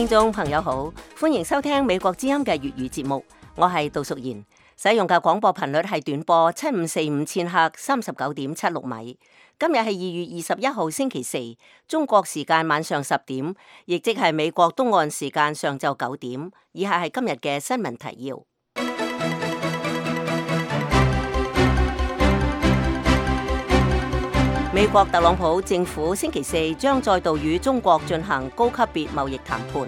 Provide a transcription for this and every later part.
聽眾朋友好，歡迎收聽美國之音嘅粵語節目，我係杜淑賢，使用嘅廣播頻率係短波7545千赫39.76米。今日係2月21號星期四，中國時間晚上10點，亦即係美國東岸時間上晝9點。以下係今日嘅新聞提要。美國特朗普政府星期四將再度與中國進行高級別貿易談判。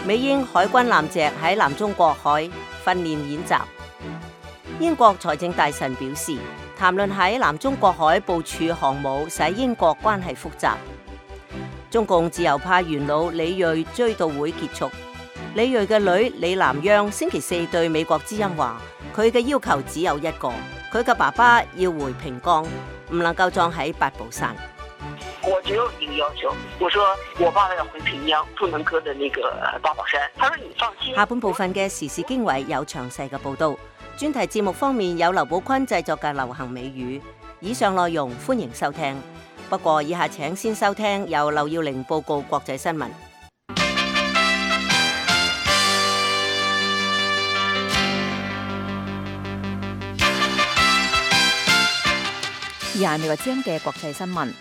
美英海軍艦隻喺南中國海訓練演習。英國財政大臣表示，談論喺南中國海部署航母使英國關係複雜。中共自由派元老李銳追悼會結束。李銳嘅女李南央星期四對美國之音話，佢嘅要求只有一個，佢嘅爸爸要回平江，唔能夠葬喺八寶山。我只有一個要求，我說我爸爸要回平陽，不能擱的那個八寶山。他說你放心。下半部分嘅時事經緯有詳細嘅報道。專題節目方面有劉寶坤製作嘅流行美語。以上內容歡迎收聽。不過以下請先收聽由劉耀玲報告國際新聞。以下係美國之音嘅國際新聞。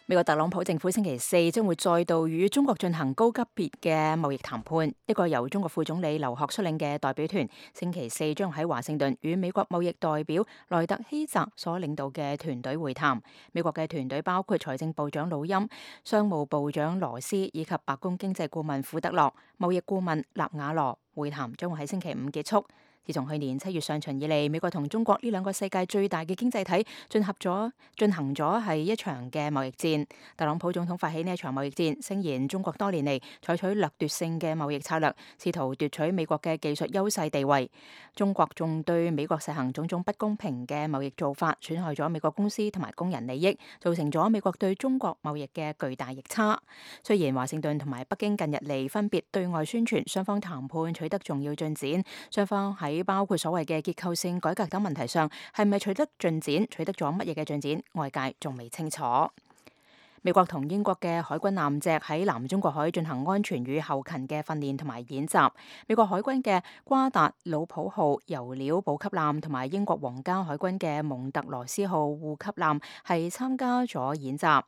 美國特朗普政府星期四將會再度與中國進行高級別嘅貿易談判。一個由中國副總理劉鶴率領嘅代表團星期四將喺華盛頓與美國貿易代表萊特希澤所領導嘅團隊會談。美國嘅團隊包括財政部長魯欽、商務部長羅斯以及白宮經濟顧問庫德洛、貿易顧問納瓦羅。會談將會喺星期五結束。自從去年7月上旬以嚟，美國同中國呢兩個世界最大嘅經濟體進行咗係一場嘅貿易戰。特朗普總統發起呢一場貿易戰，聲言中國多年嚟採取掠奪性嘅貿易策略，試圖奪取美國嘅技術優勢地位。中國仲對美國實行種種不公平嘅貿易做法，損害咗美國公司同埋工人利益，造成咗美國對中國貿易嘅巨大逆差。雖然華盛頓同埋北京近日嚟分別對外宣傳雙方談判取得重要進展，雙方喺包括所謂嘅結構性改革等問題上，係咪取得進展？取得咗乜嘢嘅進展？外界仲未清楚。美國同英國嘅海軍艦隻喺南中國海進行安全與後勤嘅訓練同埋演習。美國海軍嘅瓜達魯普號油料補給艦同埋英國皇家海軍嘅蒙特羅斯號護給艦係參加咗演習。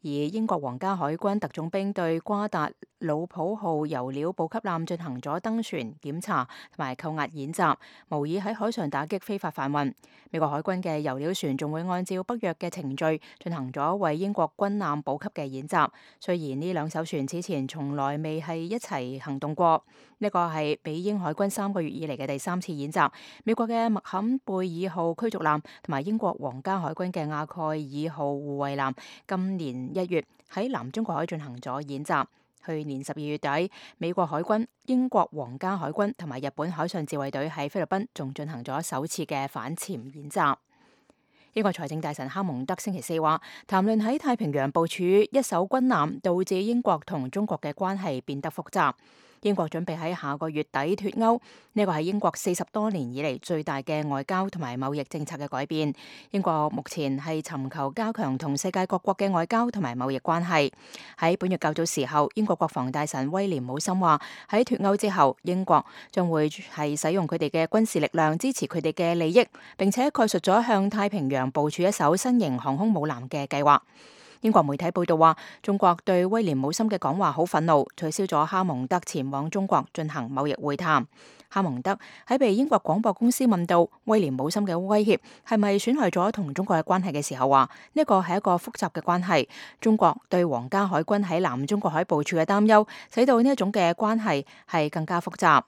而英國皇家海軍特種兵對瓜達魯普號油料補給艦進行咗登船檢查同埋扣押演習，模擬喺海上打擊非法販運。美國海軍嘅油料船仲會按照北約嘅程序進行咗為英國軍艦補給嘅演習。雖然呢兩艘船此前從來未係一齊行動過，呢個係美英海軍3個月以嚟嘅第3次演習。美國嘅麥坎貝爾號驅逐艦同埋英國皇家海軍嘅亞蓋爾號護衛艦今年1月喺南中國海進行咗演習。去年12月底，美國海軍、英國皇家海軍同埋日本海上自衛隊喺菲律賓仲進行咗首次嘅反潛演習。英國財政大臣哈蒙德星期四話，談論喺太平洋部署一艘軍艦，導致英國同中國嘅關係變得複雜。英國準備喺下個月底脫歐，呢個係英國40多年以嚟最大嘅外交同埋貿易政策嘅改變。英國目前係尋求加強同世界各國嘅外交同埋貿易關係。喺本月較早時候，英國國防大臣威廉姆森話，喺脫歐之後，英國將會係使用佢哋嘅軍事力量支持佢哋嘅利益，並且概述咗向太平洋部署一艘新型航空母艦嘅計劃。英國媒體報道話，中國對威廉姆森嘅講話好憤怒，取消咗哈蒙德前往中國進行貿易會談。哈蒙德喺被英國廣播公司問到威廉姆森嘅威脅係咪損害咗同中國嘅關係嘅時候，話呢個係一個複雜嘅關係。中國對皇家海軍喺南中國海部署嘅擔憂，使到呢一種嘅關係係更加複雜。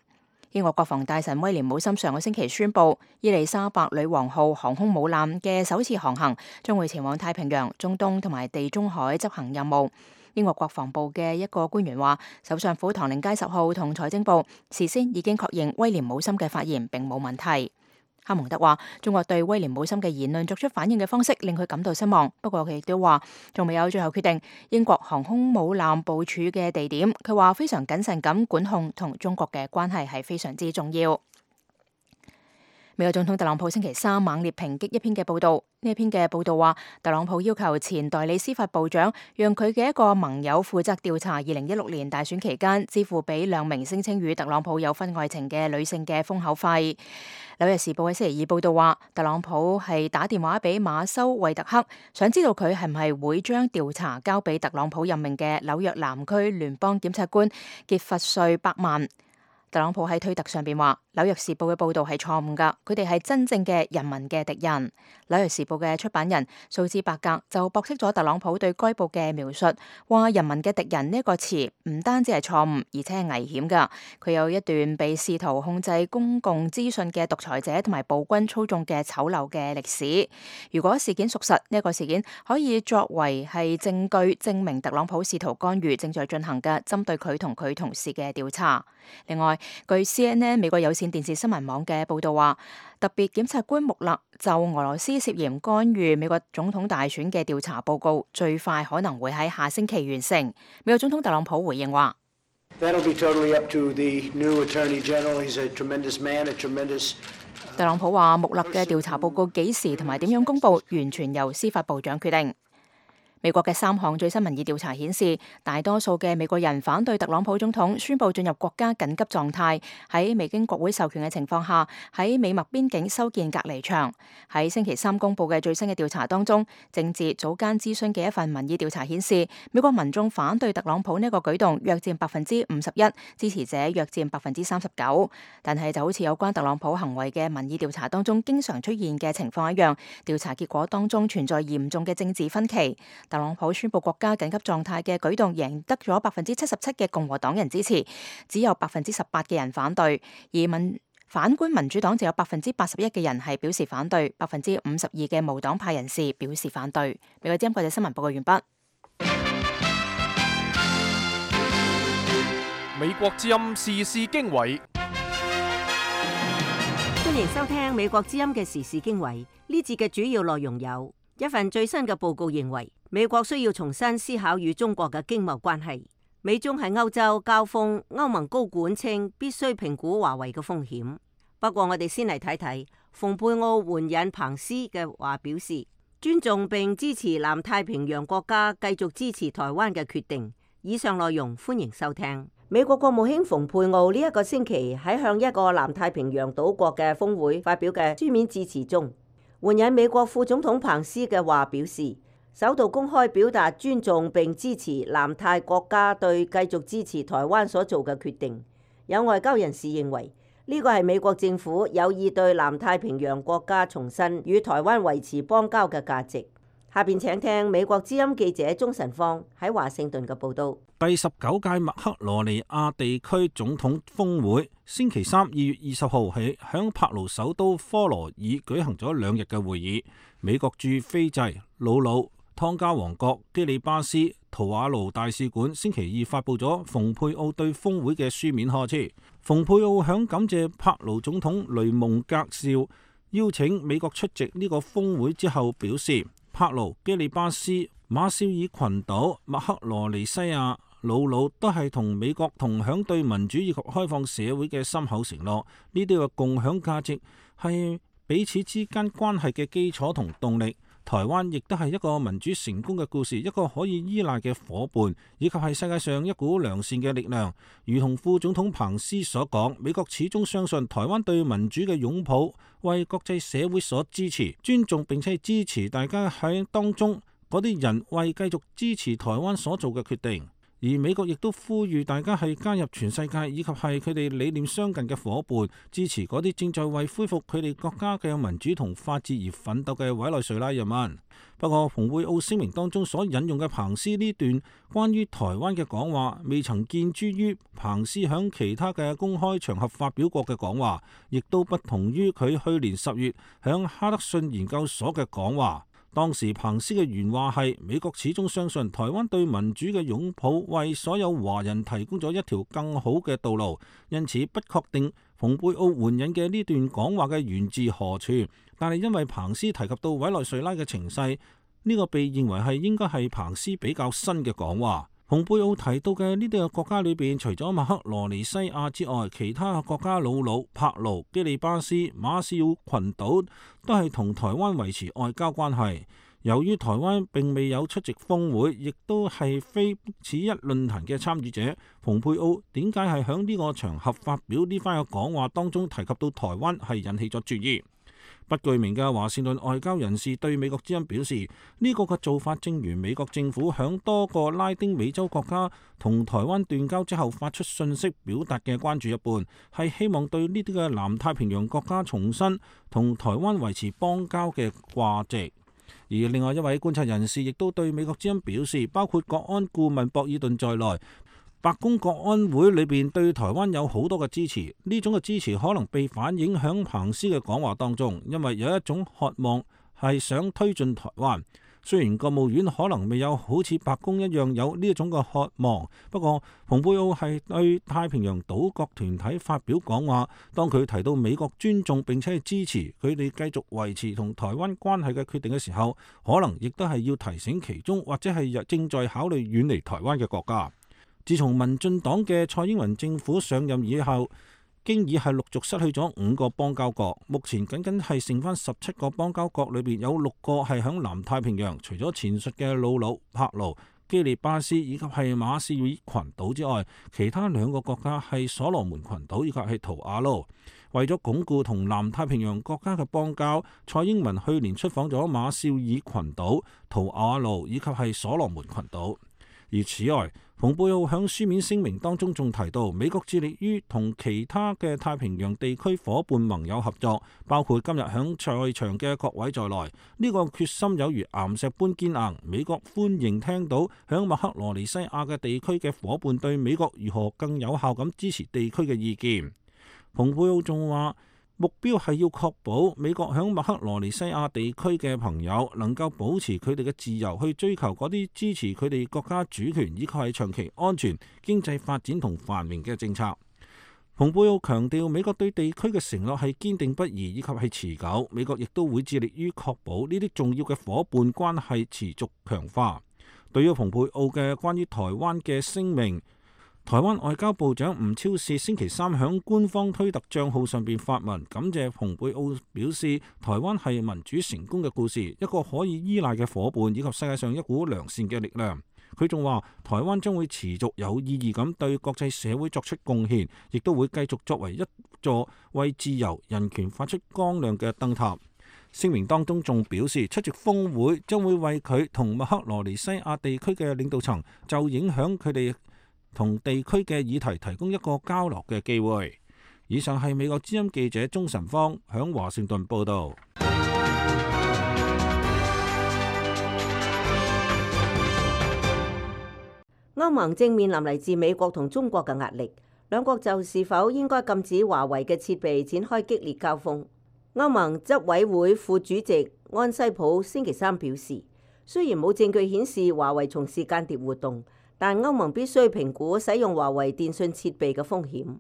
英國國防大臣威廉姆森上個星期宣布，伊麗莎白女王號航空母艦嘅首次航行將會前往太平洋、中東同埋地中海執行任務。英國國防部嘅一個官員話，首相府唐寧街10號同財政部事先已經確認威廉姆森嘅發言並冇問題。哈蒙德話，中國對威廉姆森嘅言論作出反應嘅方式令佢感到失望，不過佢亦都話仲未有最後決定英國航空母艦部署嘅地點。佢話非常謹慎咁管控同中國嘅關係係非常之重要。美國總統特朗普星期三猛烈抨擊一篇嘅報道，呢一篇嘅報道話，特朗普要求前代理司法部長讓佢嘅一個盟友負責調查2016年大選期間支付俾2名聲稱與特朗普有婚外情嘅女性嘅封口費。紐約時報喺星期二報道話，特朗普係打電話俾馬修惠特克，想知道佢係唔係會將調查交俾特朗普任命嘅紐約南區聯邦檢察官傑弗瑞伯曼。特朗普喺推特上邊話，紐約時報嘅報道係錯誤㗎，佢哋係真正嘅人民嘅敵人。紐約時報嘅出版人蘇茲伯格就駁斥咗特朗普對該報嘅描述，話人民嘅敵人呢個詞唔單止係錯誤，而且係危險㗎。佢有一段被試圖控制公共資訊嘅獨裁者同埋暴君操縱嘅醜陋嘅歷史。如果事件屬實，呢個事件可以作為係證據，證明特朗普試圖干預正在進行嘅針對佢同佢同事嘅調查。另外，據 CNN 美國有線電視新聞網嘅報道話，特別檢察官穆勒就俄羅斯涉嫌干預美國總統大選嘅調查報告，最快可能會喺下星期完成。美國總統特朗普回應話，特朗普話穆勒嘅調查報告幾時同埋點樣公佈，完全由司法部長決定。美國嘅3項最新民意調查顯示，大多數嘅美國人反對特朗普總統宣布進入國家緊急狀態，喺未經國會授權嘅情況下，喺美墨邊境修建隔離牆。喺星期三公佈嘅最新嘅調查當中，政治早間諮詢嘅一份民意調查顯示，美國民眾反對特朗普呢個舉動約佔51%，支持者約佔39%。但係就好似有關特朗普行為嘅民意調查當中經常出現嘅情況一樣，調查結果當中存在嚴重嘅政治分歧。特朗普宣布國家緊急狀態嘅舉動贏得咗77%嘅共和黨人支持，只有18%嘅人反對，而反觀民主黨就有81%嘅人係表示反對，52%嘅無黨派人士表示反對。美國之音國際新聞報告完畢。美國之音時事經緯，歡迎收聽美國之音嘅時事經緯。呢節嘅主要內容有：一份最新嘅報告認為，美國需要重新思考與中國嘅經貿關係。美中喺歐洲交鋒，歐盟高管稱必須評估華為嘅風險。不過我哋先嚟睇睇蓬佩奧援引彭斯嘅話，表示尊重並支持南太平洋國家繼續支持台灣嘅決定。以上內容歡迎收聽。美國國務卿蓬佩奧呢一個星期喺向一個南太平洋島國嘅峰會發表嘅書面致辭中，援引美國副總統彭斯嘅話表示，首度公開表達尊重並支持南太國家對繼續支持台灣所做嘅決定。有外交人士認為，呢個係美國政府有意對南太平洋國家重申與台灣維持邦交嘅價值。下邊請聽美國之音記者鍾晨芳喺華盛頓嘅報導。第19屆麥克羅尼亞地區總統峰會星期三2月20號起響帕勞首都科羅爾舉行咗2日嘅會議。美國駐斐濟、魯魯、湯加王國、基里巴斯、圖瓦盧大使館星期二發布咗蓬佩奧對峰會嘅書面賀詞。蓬佩奧響感謝帕勞總統雷蒙格紹邀請美國出席呢個峰會之後表示，帕勞、基里巴斯、馬紹爾群島、麥克羅尼西亞、魯魯都係同美國同享對民主以及開放社會嘅深厚承諾，呢啲嘅共享價值係彼此之間關係嘅基礎同動力。台灣亦都係一個民主成功嘅故事，一個可以依賴嘅夥伴，以及係世界上一股良善嘅力量。如同副總統彭斯所講，美國始終相信台灣對民主嘅擁抱，為國際社會所支持、尊重，並且支持大家喺當中嗰啲人為繼續支持台灣所做嘅決定。而美國亦都呼籲大家係加入全世界，以及係佢哋理念相近嘅夥伴，支持嗰啲正在為恢復佢哋國家嘅民主同法治而奮鬥嘅委內瑞拉人民。不過，蓬佩奧聲明當中所引用嘅彭斯呢段關於台灣嘅講話，未曾見諸於彭斯響其他嘅公開場合發表過嘅講話，亦都不同於佢去年10月響哈德遜研究所嘅講話。當時彭斯嘅原話係：美國始終相信台灣對民主嘅擁抱為所有華人提供咗一條更好嘅道路，因此不確定蓬佩奧援引嘅呢段講話嘅源自何處。但係因為彭斯提及到委內瑞拉嘅情勢，呢個被認為係應該係彭斯比較新嘅講話。蓬佩奧提到嘅呢啲嘅國家裏邊，除咗麥克羅尼西亞之外，其他嘅國家瑙魯、帕勞、基里巴斯、馬紹爾群島都係同台灣維持外交關係。由於台灣並未有出席峰會，亦都係非此一論壇嘅參與者，蓬佩奧點解係喺呢個場合發表呢番嘅講話當中提及到台灣，係引起咗注意。不具名嘅華盛頓外交人士對美國之音表示，呢個嘅做法正如美國政府響多個拉丁美洲國家同台灣斷交之後發出訊息表達嘅關注一般，係希望對呢啲嘅南太平洋國家重申同台灣維持邦交嘅掛值。而另外一位觀察人士亦都對美國之音表示，包括國安顧問博爾頓在內，白宮國安會裏邊對台灣有好多嘅支持，呢種嘅支持可能被反映響彭斯嘅講話當中，因為有一種渴望係想推進台灣。雖然國務院可能未有好似白宮一樣有呢一種嘅渴望，不過蓬佩奧係對太平洋島國團體發表講話，當佢提到美國尊重並且係支持佢哋繼續維持同台灣關係嘅決定嘅時候，可能亦都係要提醒其中或者係正在考慮遠離台灣嘅國家。自從民進黨嘅蔡英文政府上任以後，經已係陸續失去咗5個邦交國，目前僅僅係剩翻17個邦交國，裏邊有6個係響南太平洋，除咗前述嘅瑙魯、帕勞、基里巴斯以及係馬紹爾群島之外，其他2個國家係所羅門群島以及係圖瓦盧。為咗鞏固同南太平洋國家嘅邦交，蔡英文去年出訪咗馬紹爾群島、圖瓦盧以及係所羅門群島。而此外，蓬佩奧響書面聲明當中仲提到，美國致力於同其他嘅太平洋地區夥伴盟友合作，包括今日響在場嘅各位在內。呢個決心有如岩石般堅硬。美國歡迎聽到響麥克羅尼西亞嘅地區嘅夥伴對美國如何更有效咁支持地區嘅意見。蓬佩奧仲話，目標係要確保美國響麥克羅尼西亞地區嘅朋友能夠保持佢哋嘅自由，去追求嗰啲支持佢哋國家主權以及係長期安全、經濟發展同繁榮嘅政策。蓬佩奧強調，美國對地區嘅承諾係堅定不移以及係持久，美國亦都會致力於確保呢啲重要嘅夥伴關係持續強化。對於蓬佩奧嘅關於台灣嘅聲明，台灣外交部長吳釗燮星期3響官方推特賬號上邊發文，感謝蓬佩奧，表示台灣係民主成功嘅故事，一個可以依賴嘅夥伴以及世界上一股良善嘅力量。佢仲話，台灣將會持續有意義咁對國際社會作出貢獻，亦都會繼續作為一座為自由人權發出光亮嘅燈塔。聲明當中仲表示，出席峰會將會為佢同麥克羅尼西亞地區嘅領導層就影響佢哋同地區嘅議題提供一個交流嘅機會。以上係美國之音記者鍾晨芳響華盛頓報道。歐盟正面臨嚟自美國同中國嘅壓力，兩國就是否應該禁止華為嘅設備展開激烈交鋒。歐盟執委會副主席安西普星期3表示，雖然冇證據顯示華為從事間諜活動，但歐盟必須評估使用華為電信設備嘅風險。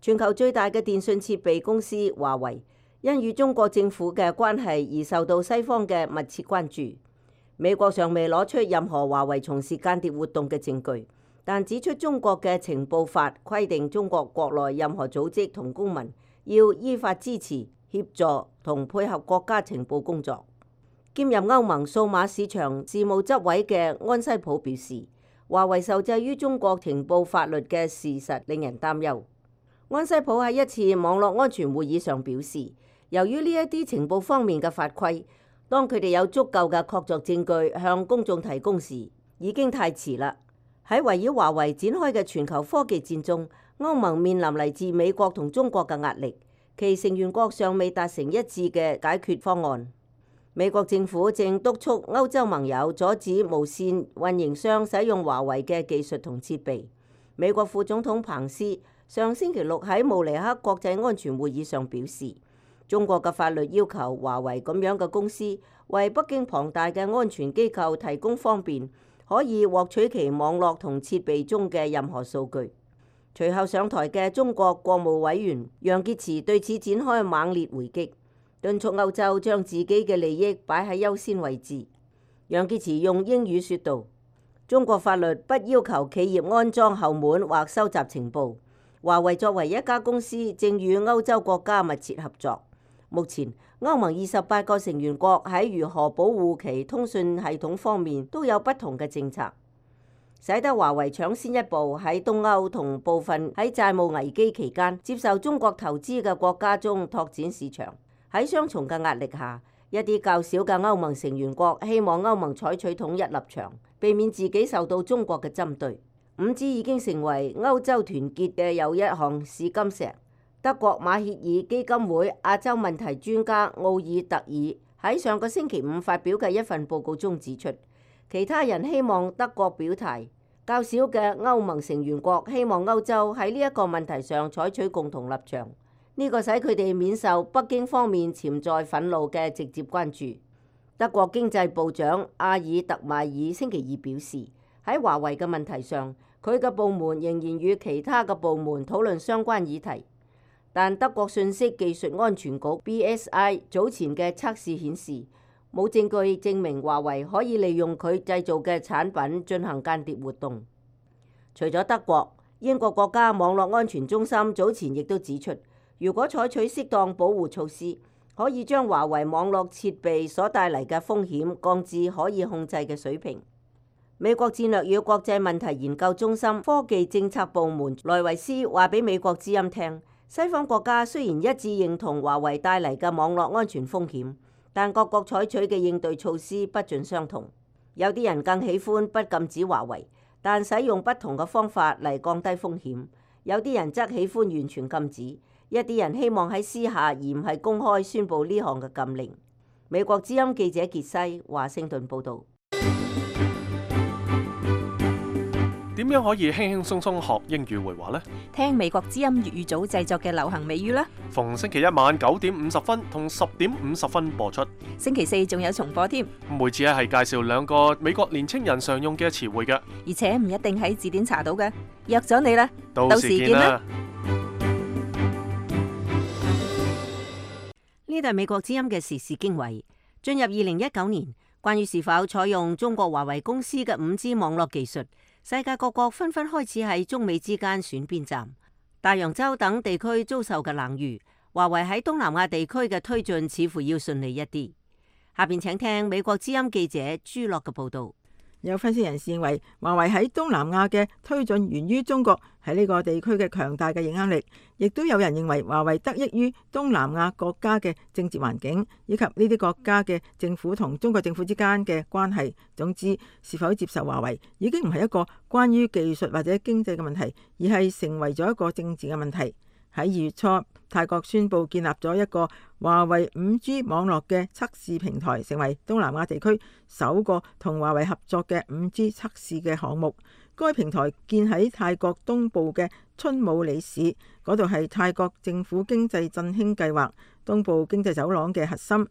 全球最大嘅電信設備公司華為，因與中國政府嘅關係而受到西方嘅密切關注。美國尚未攞出任何華為從事間諜活動嘅證據，但指出中國嘅情報法規定，中國國內任何組織同公民要依法支持、協助同配合國家情報工作。兼任歐盟數碼市場事務執委嘅安西普表示，華為受制於中國情報法律嘅事實令人擔憂。安西普喺一次網絡安全會議上表示，由於呢一啲情報方面嘅法規，當佢哋有足夠嘅確鑿證據向公眾提供時，已經太遲啦。喺圍繞華為展開嘅全球科技戰中，歐盟面臨嚟自美國同中國嘅壓力，其成員國尚未達成一致嘅解決方案。美國政府正督促歐洲盟友阻止無線運營商使用華為嘅技術同設備。美國副總統彭斯上星期6喺慕尼黑國際安全會議上表示，中國嘅法律要求華為咁樣嘅公司為北京龐大嘅安全機構提供方便，可以獲取其網絡同設備中嘅任何數據。隨後上台嘅中國國務委員楊潔篪對此展開猛烈回擊，敦促歐洲將自己嘅利益擺喺優先位置。楊潔篪用英語說道：中國法律不要求企業安裝後門或收集情報。華為作為一家公司，正與歐洲國家密切合作。目前，歐盟28個成員國喺如何保護其通訊系統方面都有不同嘅政策，使得華為搶先一步喺東歐同部分喺債務危機期間接受中國投資嘅國家中拓展市場。喺雙重嘅壓力下，一啲較小嘅歐盟成員國希望歐盟採取統一立場，避免自己受到中國嘅針對。5G 已經成為歐洲團結嘅又一項試金石。德國馬歇爾基金會亞洲問題專家奧爾特爾喺上個星期五發表嘅一份報告中指出，其他人希望德國表態，較少嘅歐盟成員國希望歐洲喺呢一個問題上採取共同立場。呢個使佢哋免受北京方面潛在憤怒嘅直接關注。德國經濟部長阿爾特邁爾星期二表示，喺華為嘅問題上，佢嘅部門仍然與其他嘅部門討論相關議題，但德國信息技術安全局 BSI 早前嘅測試顯示，冇證據證明華為可以利用佢製造嘅產品進行間諜活動。除咗德國，英國國家網絡安全中心早前亦都指出，如果採取適當保護措施，可以將華為網絡設備所帶嚟嘅風險降至可以控制嘅水平。美國戰略與國際問題研究中心科技政策部門萊維斯話俾美國之音聽，西方國家雖然一致認同華為帶嚟嘅網絡安全風險，但各國採取嘅應對措施不盡相同。有啲人更喜歡不禁止華為，但使用不同嘅方法嚟降低風險。有啲人則喜歡完全禁止，一啲人希望喺私下而唔係公開宣佈呢項嘅禁令。美國之音記者傑西華盛頓報導。點樣可以輕輕鬆鬆學英語會話呢？聽美國之音粵語組製作嘅流行美語啦。逢星期一晚9點50分同10點50分播出。星期四仲有重播添。每次係介紹2個美國年青人常用嘅詞彙嘅，而且唔一定喺字典查到嘅。約咗你啦，到時見啦。呢度係美國之音嘅時事經緯。進入2019年，關於是否採用中國華為公司嘅5G 網絡技術，世界各國紛紛開始喺中美之間選邊站。大洋洲等地區遭受嘅冷遇，華為喺東南亞地區嘅推進似乎要順利一啲。下邊請聽美國之音記者朱樂嘅報道。有分析人士認為，華為喺東南亞嘅推進源於中國喺呢個地區嘅強大嘅影響力，亦都有人認為華為得益於東南亞國家嘅政治環境，以及呢啲國家嘅政府同中國政府之間嘅關係。總之，是否接受華為已經唔係一個關於技術或者經濟嘅問題，而係成為咗一個政治嘅問題。喺2月初，泰國宣布建立咗一個華為5G 網絡嘅測試平台，成為東南亞地區首個同華為合作嘅5G 測試嘅項目。該平台建喺泰國東部嘅春武里市，嗰度係泰國政府經濟振興計劃東部經濟走廊嘅核心。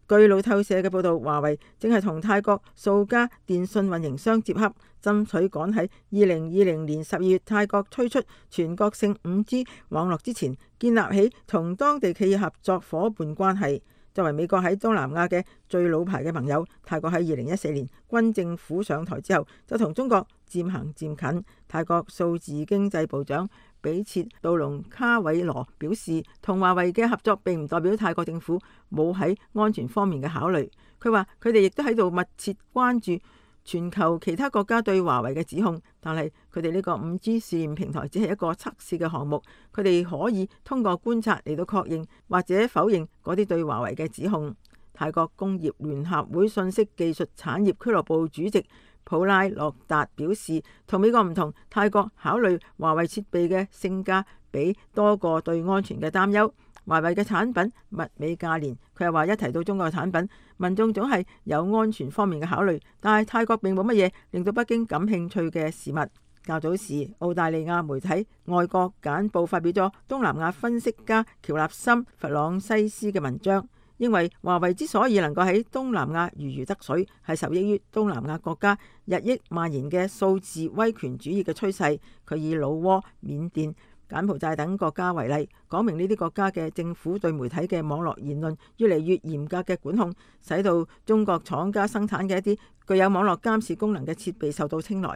據路透社嘅報導，華為正係同泰國數家電信運營商接洽，爭取趕喺2020年12月泰國推出全國性5G 網絡之前，建立起同當地企業合作夥伴關係。作為美國喺東南亞嘅最老牌嘅盟友，泰國喺2014年軍政府上台之後，就同中國漸行漸近。泰國數字經濟部長比切杜隆卡韋羅表示，同華為嘅合作並唔代表泰國政府冇喺安全方面嘅考慮。佢話佢哋亦都喺度密切關注全球其他國家對華為嘅指控，但係佢哋呢個5G 試驗平台只係一個測試嘅項目，佢哋可以通過觀察嚟到確認或者否認嗰啲對華為嘅指控。泰國工業聯合會信息技術產業俱樂部主席普拉洛達表示，同美國唔同，泰國考慮華為設備嘅性價比多過對安全嘅擔憂。華為嘅產品物美價廉，佢又話一提到中國嘅產品，民眾總係有安全方面嘅考慮，但係泰國並冇乜嘢令到北京感興趣嘅事物。較早時，澳大利亞媒體《外國簡報》發表咗東南亞分析家喬納森·弗朗西斯嘅文章，認為華為之所以能夠喺東南亞如魚得水，係受益於東南亞國家日益蔓延嘅數字威權主義嘅趨勢。佢以老撾、緬甸、柬埔寨等國家為例，講明呢啲國家嘅政府對媒體嘅網絡言論越嚟越嚴格嘅管控，使到中國廠家生產嘅一啲具有網絡監視功能嘅設備受到青睞。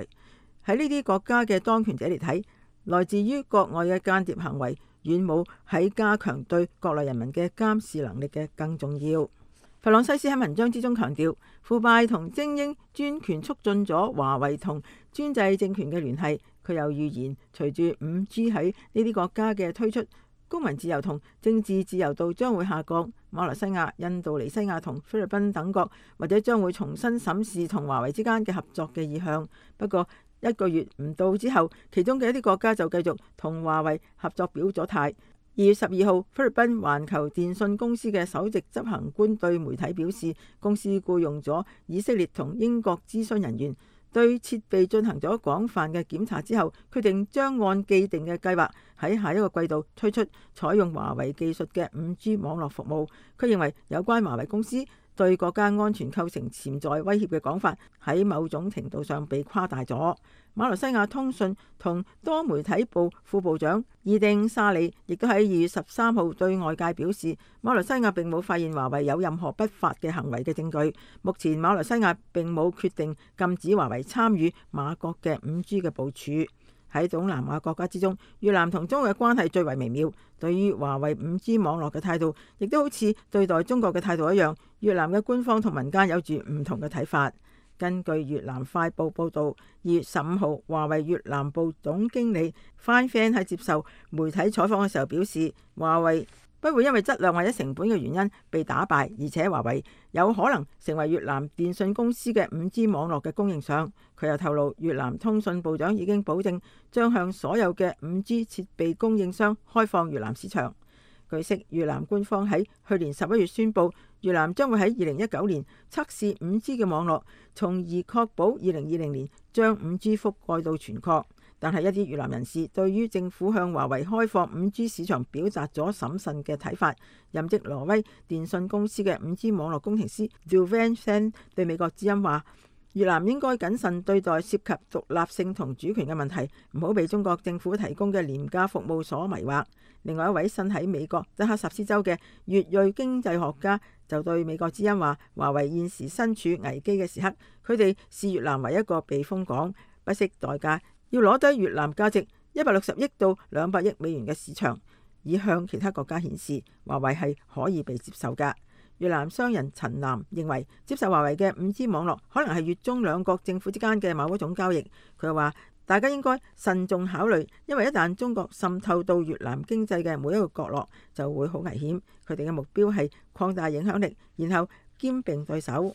喺呢啲國家嘅當權者嚟睇，來自於國外嘅間諜行為遠冇喺加強對國內人民嘅監視能力嘅更重要。弗朗西斯喺文章之中強調，腐敗同精英專權促進咗華為同專制政權嘅聯繫。佢又預言，隨住 5G 喺呢啲國家嘅推出，公民自由同政治自由度將會下降。馬來西亞、印度尼西亞同菲律賓等國或者將會重新審視同華為之間嘅合作嘅意向。不過1個月唔到之後，其中嘅一啲國家就繼續同華為合作表咗態。2月12號，菲律賓環球電訊公司嘅首席執行官對媒體表示，公司僱用咗以色列同英國諮詢人員，對設備進行咗廣泛嘅檢查之後，決定將按既定嘅計劃喺下一個季度推出採用華為技術嘅 5G 網絡服務。佢認為有關華為公司對國家安全構成潛在威脅嘅講法喺某種程度上被誇大咗。馬來西亞通訊同多媒體部副部長伊丁沙里亦都喺2月13號對外界表示，馬來西亞並冇發現華為有任何不法嘅行為嘅證據。目前馬來西亞並冇決定禁止華為參與馬國嘅 5G 嘅部署。喺東南亞國家之中，越南同中國嘅關係最為微妙。對於華為 5G 網絡嘅態度，亦都好似對待中國嘅態度一樣。越南嘅官方同民間有住唔同嘅睇法。根據越南快報報導，2月15號，華為越南部總經理 Phan Phan 喺接受媒體採訪嘅時候表示，華為不會因為質量或者成本嘅原因被打敗，而且華為有可能成為越南電信公司嘅 5G 網絡嘅供應商。佢又透露，越南通訊部長已經保證將向所有嘅 5G 設備供應商開放越南市場。據悉，越南官方喺去年11月宣布，越南將會喺2019年測試 5G 嘅網絡，從而確保2020年將 5G 覆蓋到全國。但係一啲越南人士對於政府向華為開放 5G 市場表達咗審慎嘅睇法。任職挪威電信公司嘅 5G 網絡工程師 Duvan Sen 對美國之音話，越南應該謹慎對待涉及獨立性同主權嘅問題，唔好被中國政府提供嘅廉價服務所迷惑。另外一位身喺美國德克薩斯州嘅越裔經濟學家就對美國之音話，華為現時身處危機嘅時刻，佢哋視越南為一個避風港，不惜代價要攞低越南價值160億到200億美元嘅市場，以向其他國家顯示華為係可以被接受㗎。越南商人陳南認為，接受華為嘅 5G 網絡可能係越中兩國政府之間嘅某一種交易。佢話大家應該慎重考慮，因為一旦中國滲透到越南經濟嘅每一個角落，就會好危險。佢哋嘅目標係擴大影響力，然後兼併對手。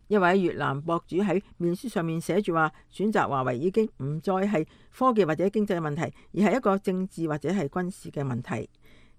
一位越南博主喺面書上面寫住話，選擇華為已經唔再係科技或者經濟嘅問題，而係一個政治或者係軍事嘅問題。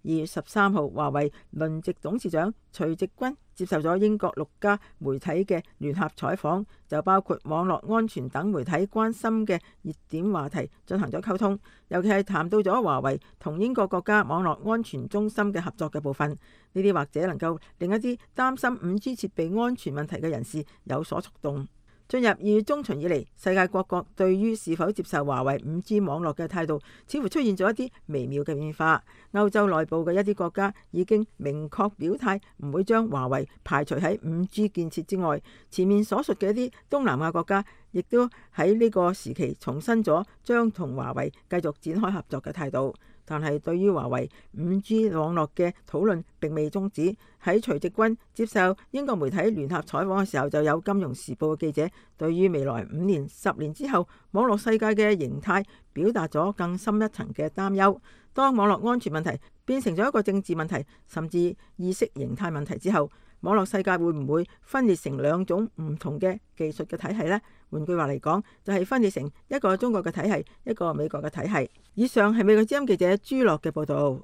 2月13號，華為輪值董事長徐直軍接受咗英國6家媒體嘅聯合採訪，就包括網絡安全等媒體關心嘅熱點話題進行咗溝通，尤其係談到咗華為同英國國家網絡安全中心嘅合作嘅部分。呢啲或者能夠令一啲擔心 5G 設備安全問題嘅人士有所觸動。進入2月中旬以嚟，世界各國對於是否接受華為 5G 網絡嘅態度，似乎出現咗一啲微妙嘅變化。歐洲內部嘅一啲國家已經明確表態，唔會將華為排除喺 5G 建設之外。前面所述嘅一啲東南亞國家，亦都喺呢個時期重申咗將同華為繼續展開合作嘅態度。但係對於華為 5G 網絡嘅討論並未終止。喺徐直軍接受英國媒體聯合採訪嘅時候，就有金融時報嘅記者對於未來5年、10年之後網絡世界嘅形態表達咗更深一層嘅擔憂。當網絡安全問題變成咗一個政治問題，甚至意識形態問題之後，網絡世界會唔會分裂成2種唔同嘅技術嘅體系呢？換句話嚟講，就係分裂成一個中國嘅體系，一個美國嘅體系。以上係美國之音記者朱樂嘅報道。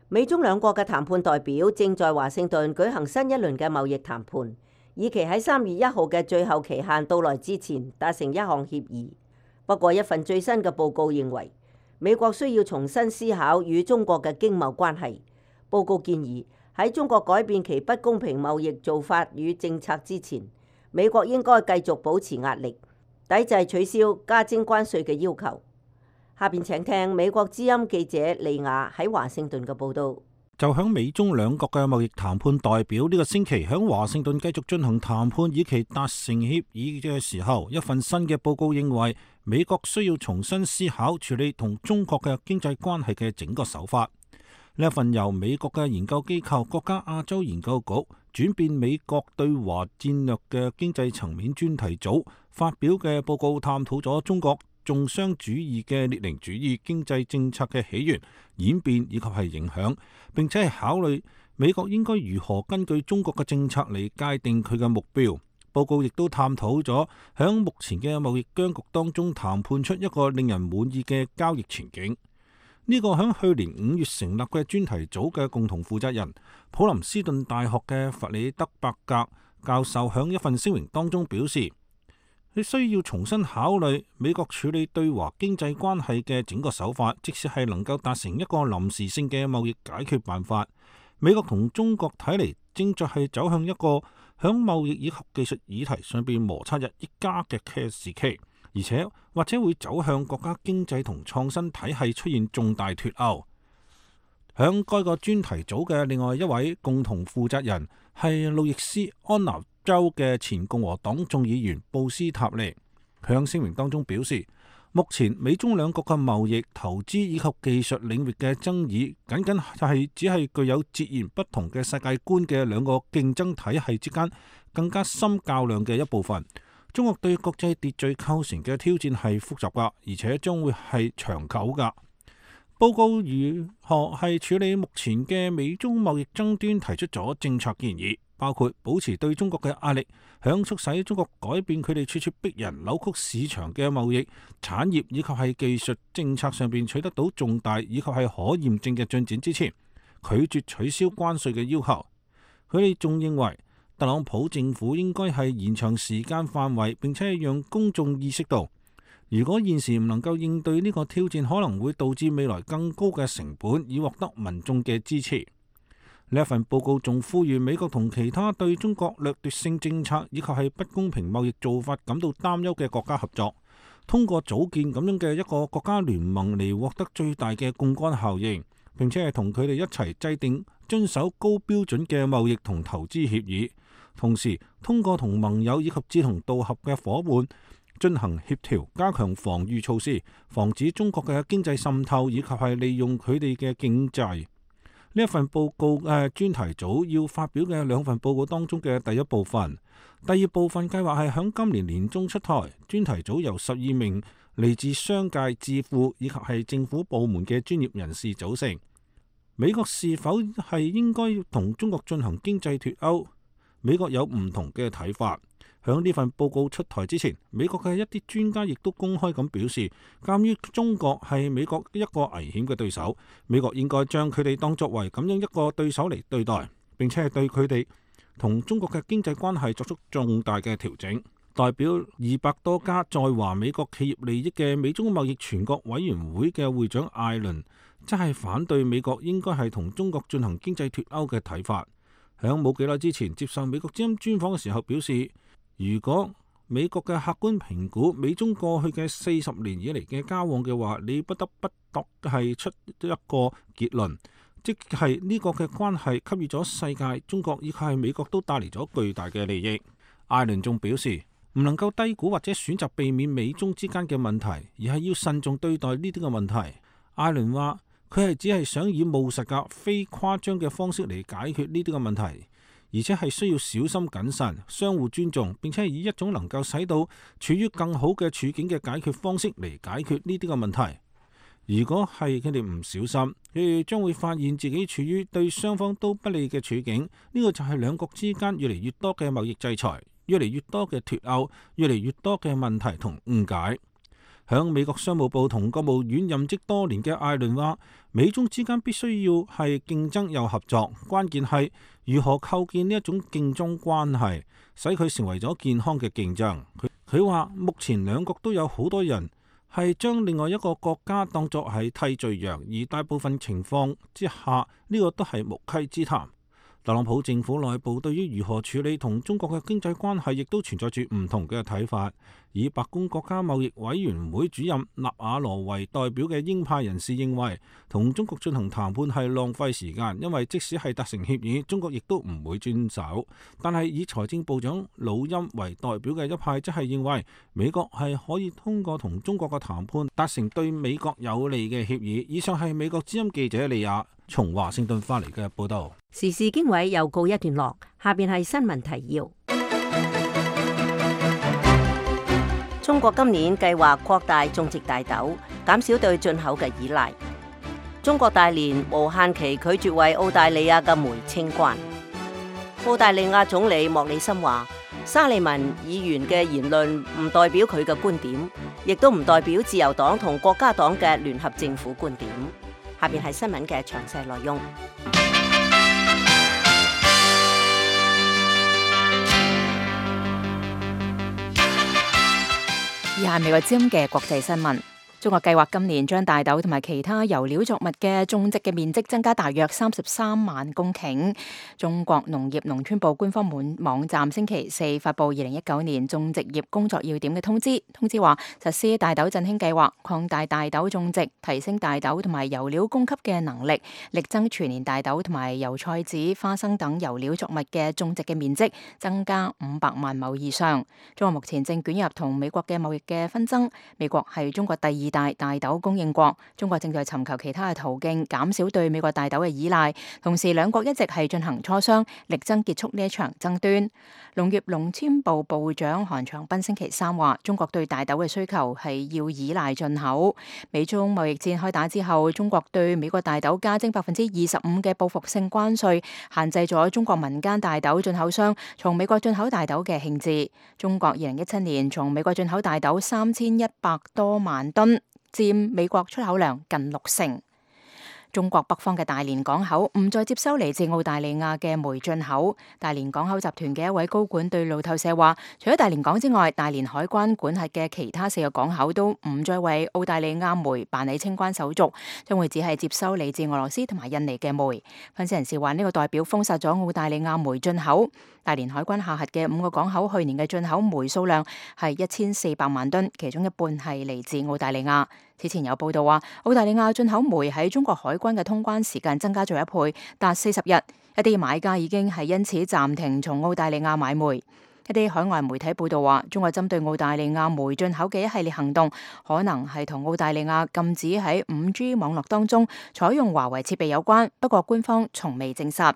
美中兩國嘅談判代表正在華盛頓舉行新一輪嘅貿易談判，以期喺3月1號嘅最後期限到來之前達成一項協議。不過，一份最新嘅報告認為，美國需要重新思考與中國嘅經貿關係。報告建議喺中國改變其不公平貿易做法與政策之前，美國應該繼續保持壓力，抵制取消加徵關稅嘅要求。下邊請聽美國之音記者利亞喺華盛頓嘅報道。就響美中兩國嘅貿易談判代表呢個星期響華盛頓繼續進行談判，以期達成協議嘅時候，一份新嘅報告認為美國需要重新思考處理同中國嘅經濟關係嘅整個手法。呢一份由美國嘅研究機構國家亞洲研究局轉變美國對華戰略嘅經濟層面專題組發表嘅報告，探討咗中國重商主義嘅列寧主義經濟政策嘅起源、演變以及係影響，並且係考慮美國應該如何根據中國嘅政策嚟界定佢嘅目標。報告亦都探討咗響目前嘅貿易僵局當中談判出一個令人滿意嘅交易前景。呢個響去年5月成立嘅專題組嘅共同負責人普林斯頓大學嘅弗里德伯格教授響一份聲明當中表示，你需要重新考慮美國處理對華經濟關係嘅整個手法，即使係能夠達成一個臨時性嘅貿易解決辦法。美國同中國睇嚟正在係走向一個響貿易以及技術議題上邊摩擦日益加劇嘅時期，而且或者會走向國家經濟同創新體系出現重大脫鈎。響該個專題組嘅另外一位共同負責人係路易斯安那州嘅前共和黨眾議員布斯塔利，佢喺聲明當中表示，目前美中兩國嘅貿易、投資以及技術領域嘅爭議，僅僅係只係具有截然不同嘅世界觀嘅兩個競爭體系之間更加深較量嘅一部分。中國對國際秩序構成嘅挑戰係複雜噶，而且將會係長久噶。報告如何係處理目前嘅美中貿易爭端，提出咗政策建議，包括保持對中國嘅壓力，響促使中國改變佢哋處處逼人、扭曲市場嘅貿易、產業以及係技術政策上邊取得到重大以及係可驗證嘅進展之前，拒絕取消關稅嘅要求。佢哋仲認為特朗普政府應該係延長時間範圍，並且讓公眾意識到，如果現時唔能夠應對呢個挑戰，可能會導致未來更高嘅成本，以獲得民眾嘅支持。呢一份報告仲呼籲美國同其他對中國掠奪性政策以及係不公平貿易做法感到擔憂嘅國家合作，通過組建咁樣嘅一個國家聯盟嚟獲得最大嘅槓桿效應，並且係同佢哋一齊制定遵守高標準嘅貿易同投資協議，同時通過同盟友以及志同道合嘅夥伴進行協調，加強防禦措施，防止中國嘅經濟滲透以及係利用佢哋嘅經濟。呢一份報告嘅專題組要發表嘅兩份報告當中嘅第一部分，第二部分計劃係響今年年中出台。專題組由12名嚟自商界、智庫以及係政府部門嘅專業人士組成。美國是否係應該同中國進行經濟脫鈎？美國有唔同嘅睇法。響呢份報告出台之前，美國嘅一啲專家亦都公開咁表示，鑑於中國係美國一個危險嘅對手，美國應該將佢哋當作為咁樣一個對手嚟對待，並且係對佢哋同中國嘅經濟關係作出重大嘅調整。代表200多家在華美國企業利益嘅美中貿易全國委員會嘅會長艾倫，即係反對美國應該係同中國進行經濟脫鈎嘅睇法。響冇幾耐之前接受美國之音專訪嘅時候表示，如果美國嘅客觀評估美中過去嘅40年以嚟嘅交往嘅話，你不得不係出一個結論，即係呢個嘅關係給予咗世界、中國以及係美國都帶嚟咗巨大嘅利益。艾倫仲表示，唔能夠低估或者選擇避免美中之間嘅問題，而係要慎重對待呢啲嘅問題。艾倫話佢係只係想以務實嘅、非誇張嘅方式嚟解決呢啲嘅問題，而且係需要小心謹慎、相互尊重，並且係以一種能夠使到處於更好嘅處境嘅解決方式嚟解決呢啲嘅問題。如果係佢哋唔小心，佢哋將會發現自己處於對雙方都不利嘅處境。呢個就係兩國之間越嚟越多嘅貿易制裁，越嚟越多嘅脫鈎，越嚟越多嘅問題同誤解。響美國商務部同國務院任職多年嘅艾倫話，美中之間必須要係競爭又合作，關鍵係如何構建呢一種競爭關係，使佢成為咗健康嘅競爭。佢話目前兩國都有好多人係將另外一個國家當作係替罪羊，而大部分情況之下呢個都係無稽之談。特朗普政府內部對於如何處理同中國嘅經濟關係，亦都存在住唔同嘅睇法。以白宮國家貿易委員會主任納瓦羅為代表嘅鷹派人士認為，同中國進行談判係浪費時間，因為即使係達成協議，中國亦都唔會遵守。但係以財政部長魯欽為代表嘅一派，則係認為美國係可以通過同中國嘅談判達成對美國有利嘅協議。以上係美國之音記者利亞從華盛頓發嚟嘅報道。時事經緯又告一段落，下邊係新聞提要。中國今年計劃擴大種植大豆，減少對進口嘅依賴。中國大連無限期拒絕為澳大利亞嘅煤清關。澳大利亞總理莫里森話，沙利文議員嘅言論唔代表佢嘅觀點，亦都唔代表自由黨同國家黨嘅聯合政府觀點。下邊係新聞嘅詳細內容。以下係美國之音嘅國際新聞。中國計劃今年將大豆同埋其他油料作物嘅種植嘅面積增加大約33萬公頃。中國農業農村部官方網站星期四發布2019年種植業工作要點嘅通知。通知話，實施大豆振興計劃，擴大大豆種植，提升大豆同埋油料供給嘅能力，力爭全年大豆同埋油菜籽、花生等油料作物嘅種植嘅面積增加500萬畝以上。中國目前正捲入同美國嘅貿易嘅紛爭，美國係中國第二大豆供應國，中國正在尋求其他嘅途徑減少對美國大豆嘅依賴，同時兩國一直係進行磋商，力爭結束呢一場爭端。農業農村部部長韓長斌星期三話，中國對大豆嘅需求係要依賴進口。美中貿易戰開打之後，中國對美國大豆加徵25%嘅報復性關稅，限制咗中國民間大豆進口商從美國進口大豆嘅興致。中國2017年從美國進口大豆3100多萬噸，佔美國出口量近60%。中國北方嘅大連港口唔再接收嚟自澳大利亞嘅煤進口。大連港口集團嘅一位高管對路透社話，除咗大連港之外，大連海關管轄嘅其他4個港口都唔再為澳大利亞煤辦理清關手續，將會只係接收嚟自俄羅斯同埋印尼嘅煤。分析人士話，呢個代表封殺咗澳大利亞煤進口。大連海關下轄嘅5個港口去年嘅進口煤數量係1400萬噸，其中一半係嚟自澳大利亞。此前有報道話，澳大利亞進口煤喺中國海關嘅通關時間增加咗1倍，達40日。一啲買家已經係因此暫停從澳大利亞買煤。一啲海外媒體報道話，中國針對澳大利亞煤進口嘅一系列行動，可能係同澳大利亞禁止喺5G 網絡當中採用華為設備有關，不過官方從未證實。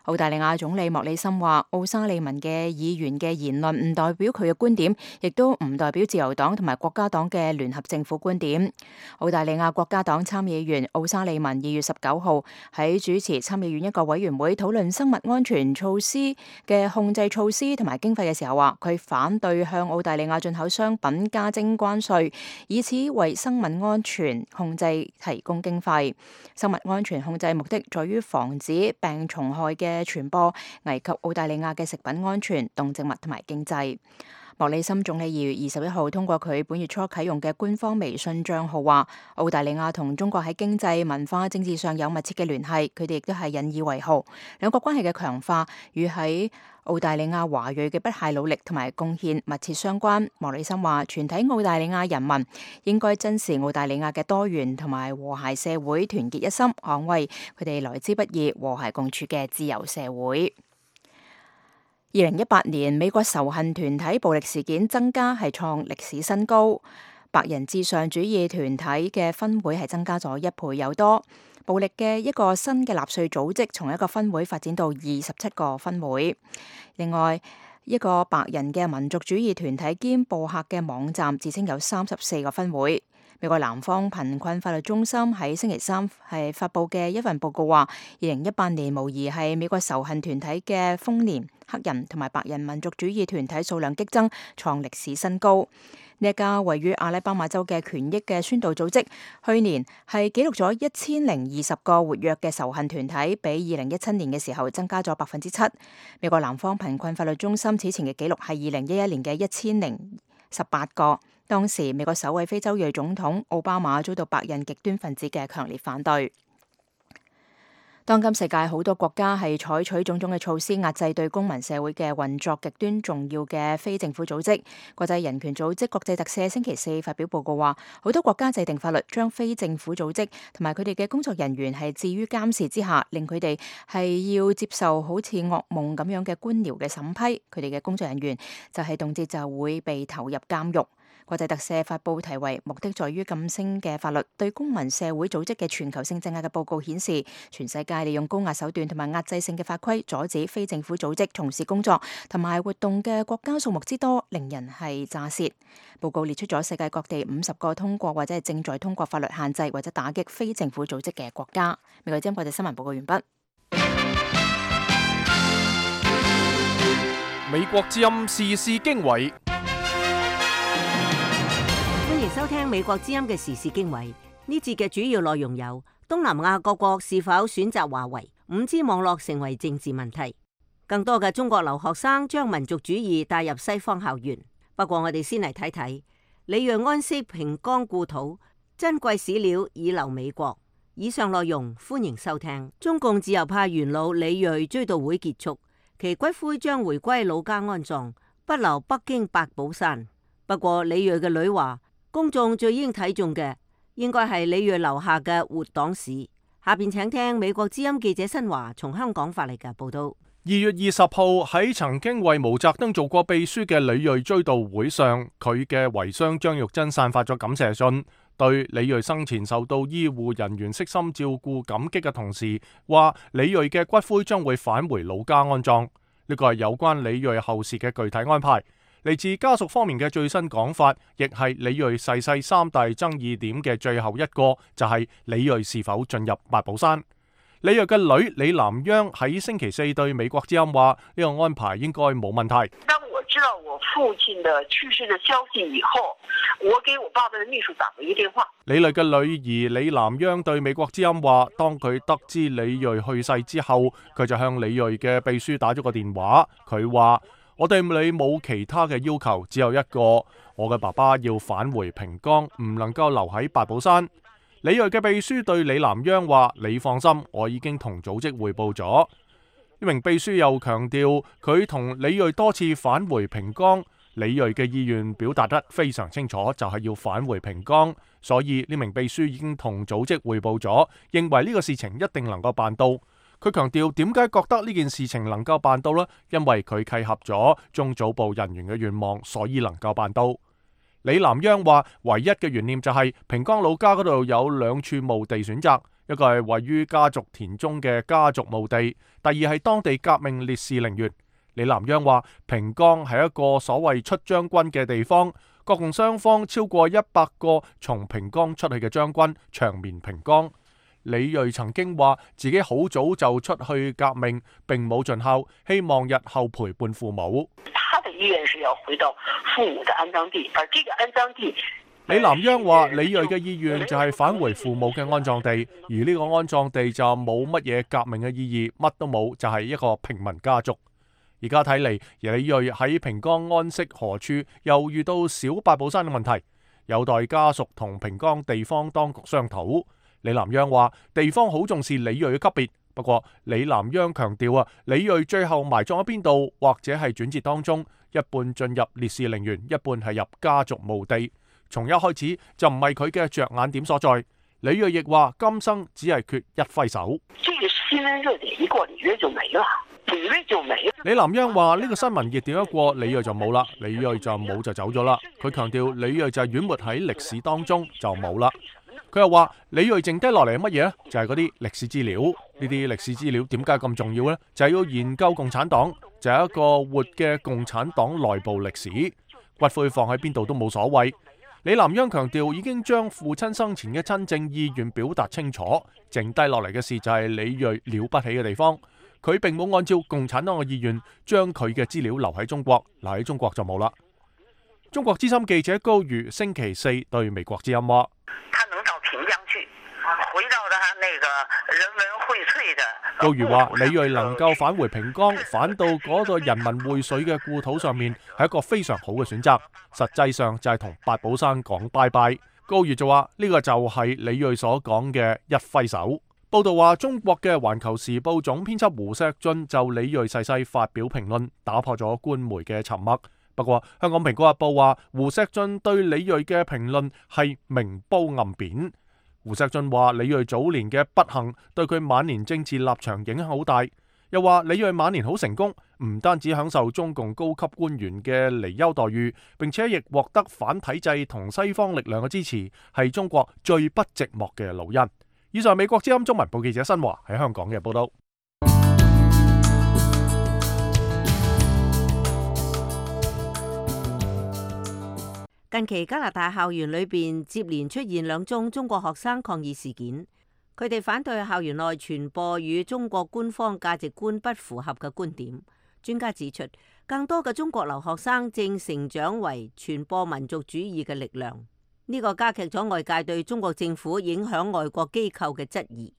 澳大利亞總理莫里森話，奧沙利文嘅議員嘅言論唔代表佢嘅觀點，亦都唔代表自由黨同埋國家黨嘅聯合政府觀點。澳大利亞國家黨參議員奧沙利文2月19號喺主持參議院一個委員會討論生物安全措施嘅控制措施同埋經費嘅時候話，佢反對向澳大利亞進口商品加徵關稅，以此為生物安全控制提供經費。生物安全控制目的在於防止病蟲害嘅傳播，危及澳大利亞嘅食品安全、動植物同埋經濟。莫里森總理2月21號通過佢本月初啟用嘅官方微信賬號話，澳大利亞同中國喺經濟、文化、政治上有密切嘅聯繫，佢哋亦都係引以為豪。兩國關係嘅強化與喺澳大利亞華裔嘅不懈努力同埋貢獻密切相關。莫里森話，全體澳大利亞人民應該珍視澳大利亞嘅多元同埋和諧社會，團結一心，捍衛佢哋來之不易、和諧共處嘅自由社會。2018年美國仇恨團體暴力事件增加係創歷史新高，白人至上主義團體嘅分會係增加咗1倍有多。暴力嘅一個新嘅納粹組織從一個分會發展到27個分會。另外一個白人嘅民族主義團體兼播客嘅網站自稱有34個分會。美國南方貧困法律中心喺星期三係發布嘅一份報告話，2018年無疑係美國仇恨團體嘅豐年，黑人同埋白人民族主義團體數量激增，創歷史新高。呢一家位於阿拉巴馬州嘅權益嘅宣導組織，去年係記錄咗1020個活躍嘅仇恨團體，比2017年嘅時候增加咗7%。美國南方貧困法律中心此前嘅記錄係2011年嘅1018個。當時美國首位非洲裔總統奧巴馬遭到白人極端分子嘅強烈反對。當今世界好多國家係採取種種嘅措施壓制對公民社會嘅運作極端重要嘅非政府組織。國際人權組織國際特赦星期四發表報告話，好多國家制定法律將非政府組織同埋佢哋嘅工作人員係置於監視之下，令佢哋係要接受好似噩夢咁樣嘅官僚嘅審批。佢哋嘅工作人員就係動輒就會被投入監獄。國際特赦發布題為目的在於噤聲嘅法律對公民社會組織嘅全球性鎮壓嘅報告顯示，全世界利用高壓手段同埋壓制性嘅法規阻止非政府組織從事工作同埋活動嘅國家數目之多，令人係咋舌。報告列出咗世界各地50個通過或者係正在通過法律限制或者打擊非政府組織嘅國家。美國之音國際新聞報告完畢。美國之音時事經緯。歡迎收聽美國之音嘅時事經緯。呢節嘅主要內容有：東南亞各國是否選擇華為？5G 網絡成為政治問題。更多嘅中國留學生將民族主義帶入西方校園。不過我哋先嚟睇睇李銳安息平岡故土，珍貴史料已留美國。以上內容歡迎收聽。中共自由派元老李銳追悼會結束，其骨灰將回歸老家安葬，不留北京八寶山。不過李銳嘅女話，公眾最應睇重嘅應該係李銳留下嘅活黨史。下邊請聽美國之音記者新華從香港發嚟嘅報道。2月20號喺曾經為毛澤東做過秘書嘅李銳追悼會上，佢嘅遺孀張玉珍散發咗感謝信，對李銳生前受到醫護人員悉心照顧感激嘅同時，話李銳嘅骨灰將會返回老家安葬。呢個係有關李銳後事嘅具體安排。嚟自家屬方面嘅最新講法，亦係李銳逝世三大爭議點嘅最後一個，就係李銳是否進入八寶山。李銳嘅女李南央喺星期四對美國之音話：呢個安排應該冇問題。當我知道我父親的去世的消息以後，我給我爸爸的秘書打了一個電話。李銳嘅女兒李南央對美國之音話：當佢得知李銳去世之後，佢就向李銳嘅秘書打咗個電話。佢話：我對你冇其他嘅要求，只有一個，我嘅爸爸要返回平岡，唔能夠留喺八寶山。李銳嘅秘書對李南央話：你放心，我已經同組織匯報咗。呢名秘書又強調，佢同李銳多次返回平岡，李銳嘅意願表達得非常清楚，就係要返回平岡。所以呢名秘書已經同組織匯報咗，認為呢個事情一定能夠辦到。佢強調點解覺得呢件事情能夠辦到呢？因為佢契合咗中組部人員嘅願望，所以能夠辦到。李南央話：唯一嘅懸念就係平岡老家嗰度有2處墓地選擇，一個係位於家族田中嘅家族墓地，第二係當地革命烈士陵園。李南央話：平岡係一個所謂出將軍嘅地方，國共雙方超過100個從平岡出去嘅將軍長眠平岡。李銳曾經話自己好早就出去革命，並冇盡孝，希望日後陪伴父母。他的意願是要回到父母的安葬地，而這個安葬地，李南央話李銳嘅意願就係返回父母嘅安葬地，而呢個安葬地就冇乜嘢革命嘅意義，乜都冇，就係一個平民家族。而家睇嚟，李銳喺平岡安息何處，又遇到小八寶山嘅問題，有待家屬同平岡地方當局商討。李南央話地方好重視李銳嘅級別，不過李南央強調李銳最後埋葬喺邊度，或者係轉折當中，一半進入烈士陵園，一半係入家族墓地，從一開始就唔係佢嘅着眼點所在。李銳亦話今生只係缺一揮手。這個新聞熱點一過，李銳就沒了，李銳就沒了。李南央話呢個新聞熱點一過，李銳就冇啦，李銳就冇就走咗啦。佢強調李銳就係淹沒喺歷史當中就冇啦。佢又話李銳剩低落嚟係乜嘢呢？就係嗰啲歷史資料。呢啲歷史資料點解咁重要呢？就係要研究共產黨，就係一個活嘅共產黨內部歷史。骨灰放喺邊度都冇所謂。李南央強調已經將父親生前嘅真正意願表達清楚，剩低落嚟嘅事就係李銳了不起嘅地方。佢並冇按照共產黨嘅意願將佢嘅資料留喺中國，留喺中國就冇啦。中國資深記者高瑜星期四對美國之音話：他能到平江去，回到他那個人文薈萃的。高瑜話：李銳能夠返回平岡，返到嗰個人民薈萃嘅故土上面，係一個非常好嘅選擇。實際上就係同八寶山講拜拜。高瑜就話：呢個就係李銳所講嘅一揮手。報道話，中國嘅《環球時報》總編輯胡錫進就李銳逝世發表評論，打破咗官媒嘅沉默。不過，香港《蘋果日報》話胡錫進對李銳嘅評論係明褒暗貶。胡錫進話李銳早年嘅不幸對佢晚年政治立場影響好大，又話李銳晚年好成功，唔單止享受中共高級官員嘅離休待遇，並且亦獲得反體制同西方力量嘅支持，係中國最不寂寞嘅老人。以上美國之音中文部記者新華喺香港嘅報道。近期加拿大校園裏邊接連出現兩宗中國學生抗議事件，佢哋反對校園內傳播與中國官方價值觀不符合嘅觀點。專家指出，更多嘅中國留學生正成長為傳播民族主義嘅力量。呢個加劇咗外界對中國政府影響外國機構嘅質疑。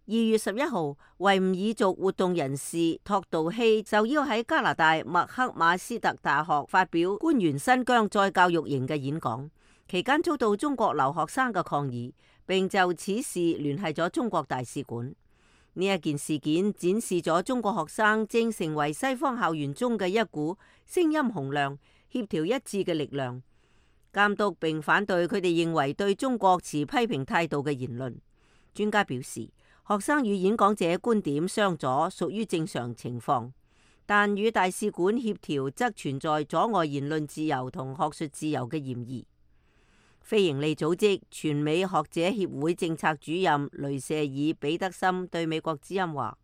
2月11號，維吾爾族活動人士托杜希受邀喺加拿大麥克馬斯特大學發表關於新疆再教育營嘅演講，期間遭到中國留學生嘅抗議，並就此事聯繫咗中國大使館。呢一件事件展示咗中國學生正成為西方校園中嘅一股聲音洪亮、協調一致嘅力量，監督並反對佢哋認為對中國持批評態度嘅言論。專家表示，學生與演講者觀點相左屬於正常情況，但與大使館協調則存在阻礙言論自由同學術自由嘅嫌疑。非營利組織全美學者協會政策主任雷舍爾彼得森對美國之音話：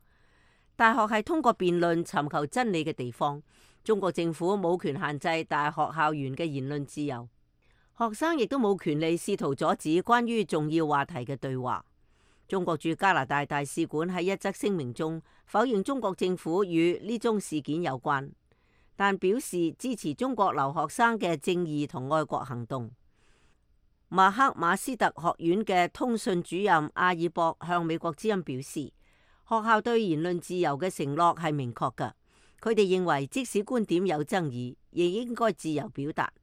大學係通過辯論尋求真理嘅地方，中國政府冇權限制大學校園嘅言論自由，學生亦都冇權利試圖阻止關於重要話題嘅對話。中國駐加拿大大使館喺一則聲明中否認中國政府與呢宗事件有關，但表示支持中國留學生嘅正義同愛國行動。麥克馬斯特學院嘅通訊主任阿爾博向美國之音表示，學校對言論自由嘅承諾係明確㗎。佢哋認為即使觀點有爭議，亦應該自由表達。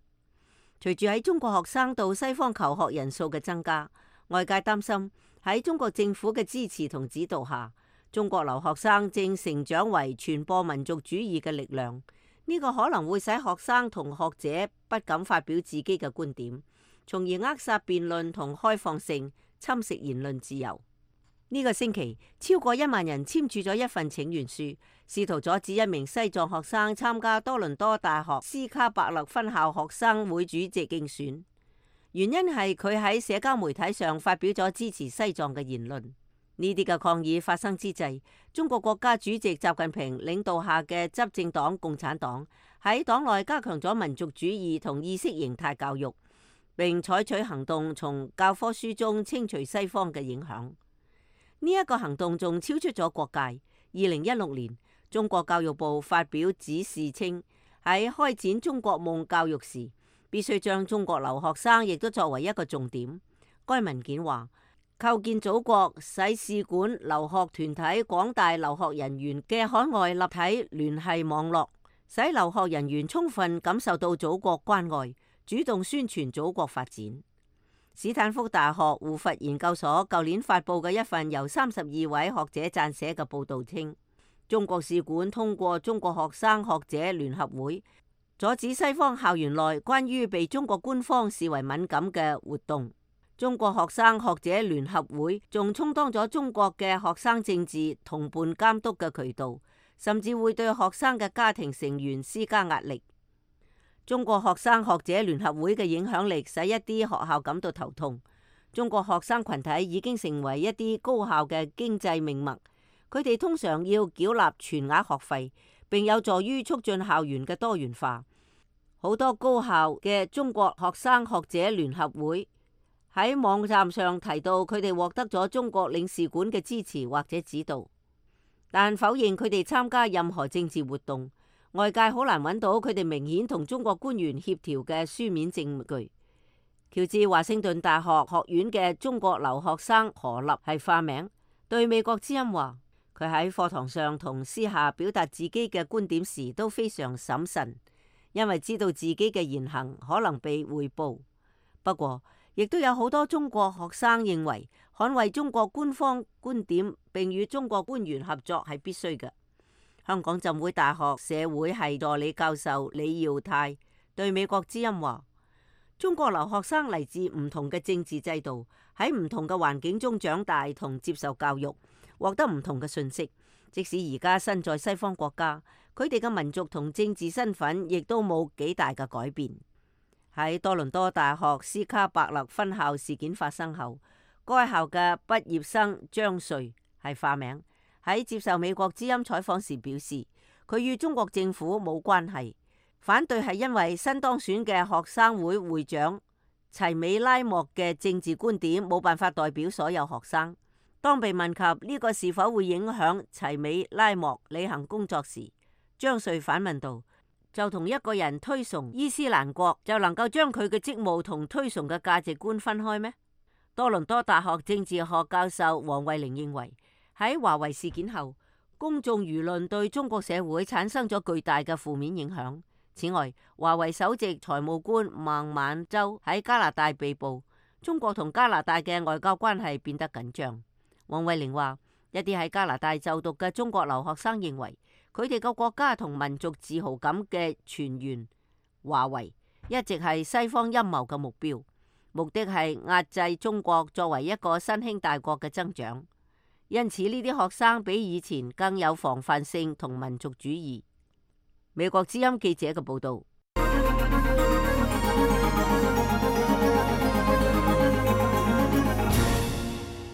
隨住喺中國學生到西方求學人數嘅增加，外界擔心喺中國政府嘅支持同指導下，中國留學生正成長為傳播民族主義嘅力量。呢個可能會使學生同學者不敢發表自己嘅觀點，從而扼殺辯論同開放性，侵蝕言論自由。呢個星期，超過1萬人簽署咗一份請願書，試圖阻止一名西藏學生參加多倫多大學斯卡伯勒分校學生會主席競選。原因係佢喺社交媒體上發表咗支持西藏嘅言論。呢啲嘅抗議發生之際，中國國家主席習近平領導下嘅執政黨共產黨喺黨內加強咗民族主義同意識形態教育，並採取行動從教科書中清除西方嘅影響。呢一個行動仲超出咗國界。2016年，中國教育部發表指示稱，喺開展中國夢教育時，必須將中國留學生亦都作為一個重點。該文件話，構建祖國使使館、留學團體、廣大留學人員嘅海外立體聯繫網絡，使留學人員充分感受到祖國關愛，主動宣傳祖國發展。史坦福大學胡佛研究所舊年發佈嘅一份由32位學者撰寫嘅報導稱，中國使館通過中國學生學者聯合會，阻止西方校園內關於被中國官方視為敏感嘅活動。中國學生學者聯合會仲充當咗中國嘅學生政治同伴監督嘅渠道，甚至會對學生嘅家庭成員施加壓力。中國學生學者聯合會嘅影響力使一啲學校感到頭痛。中國學生群體已經成為一啲高校嘅經濟命脈，佢哋通常要繳納全額學費，並有助於促進校園嘅多元化。好多高校嘅中國學生學者聯合會喺網站上提到，佢哋獲得咗中國領事館嘅支持或者指導，但否認佢哋參加任何政治活動。外界好難揾到佢哋明顯同中國官員協調嘅書面證據。喬治華盛頓大學學院嘅中國留學生何立係化名，對美國之音話，佢喺課堂上同私下表達自己嘅觀點時都非常審慎，因為知道自己嘅言行可能被匯報。不過亦都有好多中國學生認為捍衛中國官方觀點並與中國官員合作係必須嘅。香港浸會大學社會系助理教授李耀泰對美國之音話：中國留學生嚟自唔同嘅政治制度，喺唔同嘅環境中長大同接受教育，獲得唔同嘅信息。即使而家身在西方國家，佢哋嘅民族同政治身份亦都冇幾大嘅改變。喺多倫多大學斯卡伯勒分校事件發生後，該校嘅畢業生張瑞係化名，喺接受美國之音採訪時表示，佢與中國政府冇關係，反對係因為新當選嘅學生會會長齊美拉莫嘅政治觀點冇辦法代表所有學生。當被問及呢個是否會影響齊美拉莫履行工作時，張瑞反問道：就同一個人推崇伊斯蘭國，就能夠將佢嘅職務同推崇嘅價值觀分開咩？多倫多大學政治學教授黃慧玲認為，喺華為事件後，公眾輿論對中國社會產生咗巨大嘅負面影響。此外，華為首席財務官孟晚舟喺加拿大被捕，中國同加拿大嘅外交關係變得緊張。黃慧玲話：一啲喺加拿大就讀嘅中國留學生認為，佢哋個國家同民族自豪感嘅泉源華為一直係西方陰謀嘅目標，目的係壓制中國作為一個新興大國嘅增長。因此呢啲學生比以前更有防範性同民族主義。美國之音記者嘅報道。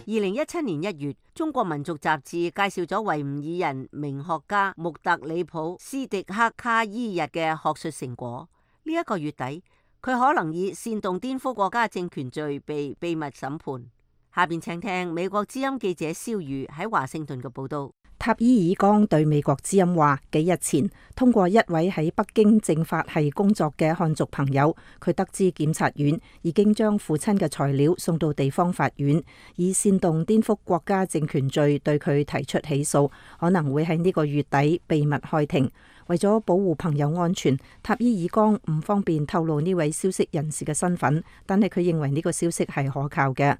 2017年1月，中國民族雜誌介紹咗維吾爾人名學家穆特里普斯迪克卡伊日嘅學術成果。呢一個月底，佢可能以煽動顛覆國家政權罪被秘密審判。下邊請聽美國之音記者蕭瑜喺華盛頓嘅報道。塔伊爾江對美國之音話：幾日前，通過一位喺北京政法系工作嘅漢族朋友，佢得知檢察院已經將父親嘅材料送到地方法院，以煽動顛覆國家政權罪對佢提出起訴，可能會喺呢個月底秘密開庭。為咗保護朋友安全，塔伊爾江唔方便透露呢位消息人士嘅身份，但係佢認為呢個消息係可靠嘅。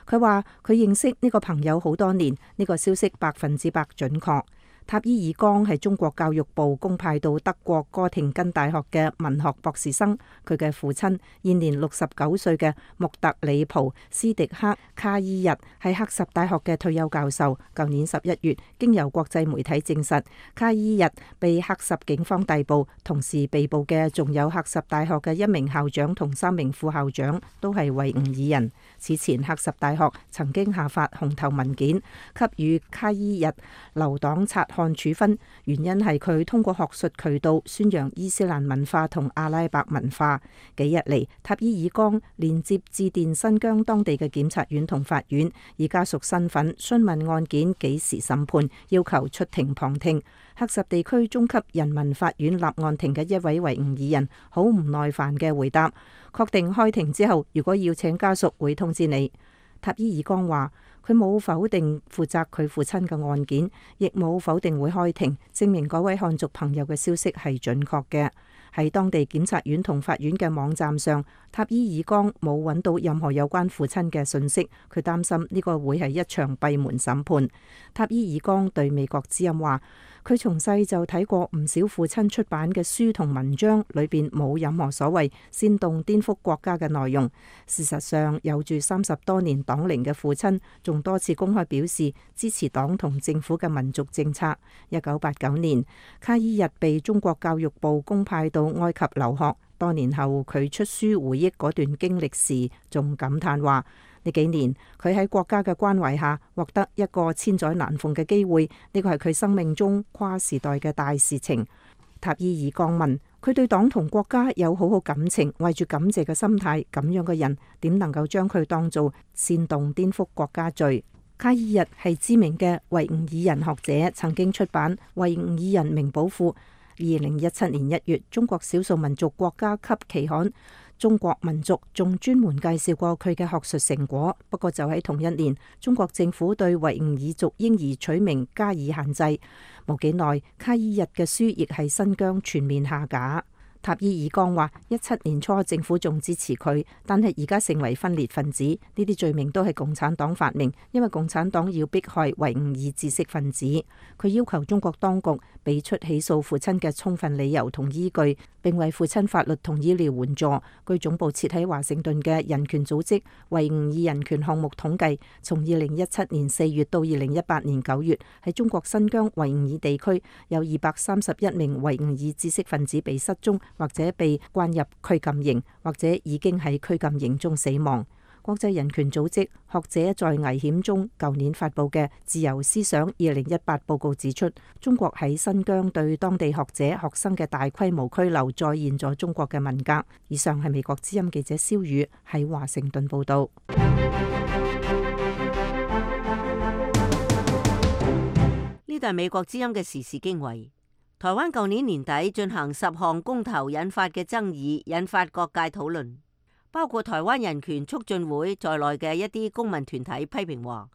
佢話佢認識呢個朋友好多年，呢個消息100%準確。塔伊爾江係中國教育部公派到德國哥廷根大學嘅文學博士生，佢嘅父親現年69歲嘅穆特里普斯迪克卡伊日係赫什大學嘅退休教授。舊年11月，經由國際媒體證實，卡伊日被赫什警方逮捕，同時被捕嘅仲有赫什大學嘅1名校長同3名副校長，都係維吾爾人。此前赫什大學曾經下發紅頭文件，給予卡伊日留黨察看處分，原因係佢通過學術渠道宣揚伊斯蘭文化同阿拉伯文化。幾日嚟，塔伊爾江連接致電新疆當地嘅檢察院同法院，以家屬身份詢問案件幾時審判，要求出庭旁聽。赫什地區中級人民法院立案庭嘅一位維吾爾人好唔耐煩嘅回答：確定開庭之後，如果要請家屬會通知你。塔伊爾江話：佢冇否定負責佢父親嘅案件，亦冇否定會開庭，證明嗰位漢族朋友嘅消息係準確嘅。喺當地檢察院同法院嘅網站上，塔伊爾江冇揾到任何有關父親嘅信息，佢擔心呢個會係一場閉門審判。塔伊爾江對美國之音話：佢從細就睇過唔少父親出版嘅書同文章，裏邊冇任何所謂煽動顛覆國家嘅內容。事實上，有住30多年黨齡嘅父親，仲多次公開表示支持黨同政府嘅民族政策。1989年，卡伊日被中國教育部公派到埃及留學，多年後佢出書回憶嗰段經歷時，仲感嘆話：呢幾年佢喺國家嘅關懷下獲得一個千載難逢嘅機會，呢個係佢生命中跨時代嘅大事情。塔伊爾江問：佢對黨同國家有好好感情，懷住感謝嘅心態，咁樣嘅人點能夠將佢當做煽動顛覆國家罪？卡伊日係知名嘅維吾爾人學者，曾經出版《維吾爾人名寶庫》。2017年1月，中國少數民族國家級期刊《中國民族》仲專門介紹過佢嘅學術成果。不過就喺同一年，中國政府對維吾爾族嬰兒取名加以限制。冇幾耐，卡伊日嘅書亦喺新疆全面下架。塔伊爾江話：17年初政府仲支持佢，但係而家成為分裂分子，呢啲罪名都係共產黨發明，因為共產黨要迫害維吾爾知識分子。佢要求中國當局俾出起訴父親嘅充分理由同依據，並為父親法律同醫療援助。據總部設喺華盛頓嘅人權組織維吾爾人權項目統計，從2017年4月到2018年9月，喺中國新疆維吾爾地區有231名維吾爾知識分子被失蹤，或者被關入拘禁營，或者已經喺拘禁營中死亡。國際人權組織學者在危險中舊年發布嘅《自由思想2018》報告指出，中國喺新疆對當地學者學生嘅大規模拘留，再現咗中國嘅文革。以上係美國之音記者蕭宇喺華盛頓報道。呢度係美國之音嘅時事經緯。台灣舊年年底進行10項公投引發嘅爭議，引發各界討論，包括台灣人權促進會在內嘅一啲公民團體批評話，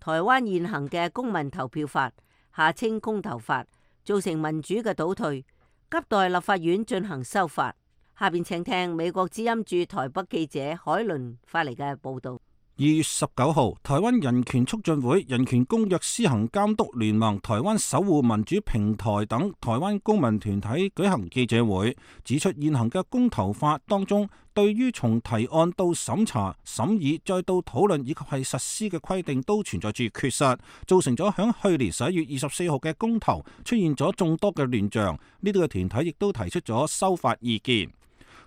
台灣現行嘅公民投票法（下稱公投法）造成民主嘅倒退，急待立法院進行修法。下邊請聽美國之音駐台北記者海倫發嚟嘅報道。2月19號，台灣人權促進會、人權公約施行監督聯盟、台灣守護民主平台等台灣公民團體舉行記者會，指出現行嘅公投法當中，對於從提案到審查、審議再到討論以及係實施嘅規定都存在住缺失，造成咗響去年11月24號嘅公投出現咗眾多嘅亂象。呢啲嘅團體亦都提出咗修法意見。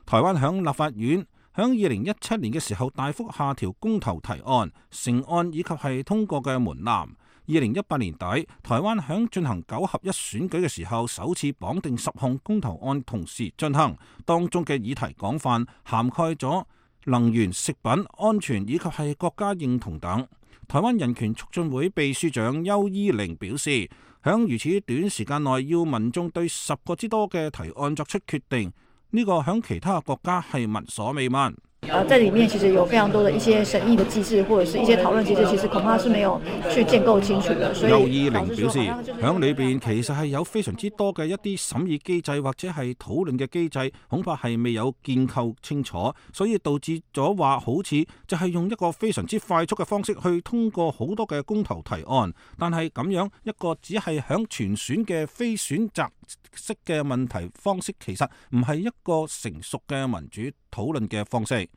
台灣響立法院響2017年嘅時候大幅下調公投提案、成案以及係通過嘅門檻。2018年底，台灣響進行9合1選舉嘅時候，首次綁定10項公投案同時進行，當中嘅議題廣泛，涵蓋咗能源、食品安全以及係國家認同等。台灣人權促進會秘書長邱依玲表示，響如此短時間內要民眾對10個之多嘅提案作出決定，呢個響其他國家係聞所未聞。在裡面其實有非常多的一些審議的機制，或者是一些討論機制，其實恐怕是沒有去建構清楚的。所以邱依玲表示，響裏邊其實係有非常之多嘅一啲審議機制或者係討論嘅機制，恐怕係未有建構清楚，所以導致咗話好似就係用一個非常之快速嘅方式去通過好多嘅公投提案，但係咁樣一個只係響全選嘅非選擇式嘅問題方式，其實唔係一個成熟嘅民主討論嘅方式。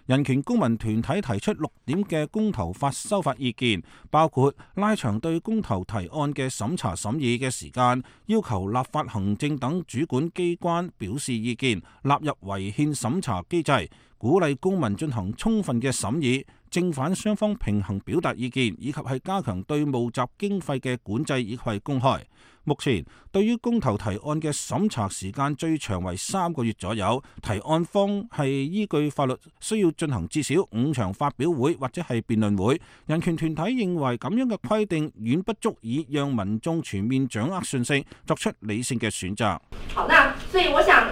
人權公民團體提出6點嘅公投法修法意見，包括拉長對公投提案嘅審查審議嘅時間，要求立法行政等主管機關表示意見，納入違憲審查機制，鼓勵公民進行充分嘅審議，正反雙方平衡表達意見，以及係加強對募集經費嘅管制以及係公開。目前對於公投提案嘅審查時間最長為3個月左右，提案方係依據法律需要進行至少5場發表會或者係辯論會。人權團體認為咁樣嘅規定遠不足以讓民眾全面掌握信息，作出理性嘅選擇。好，那所以我想，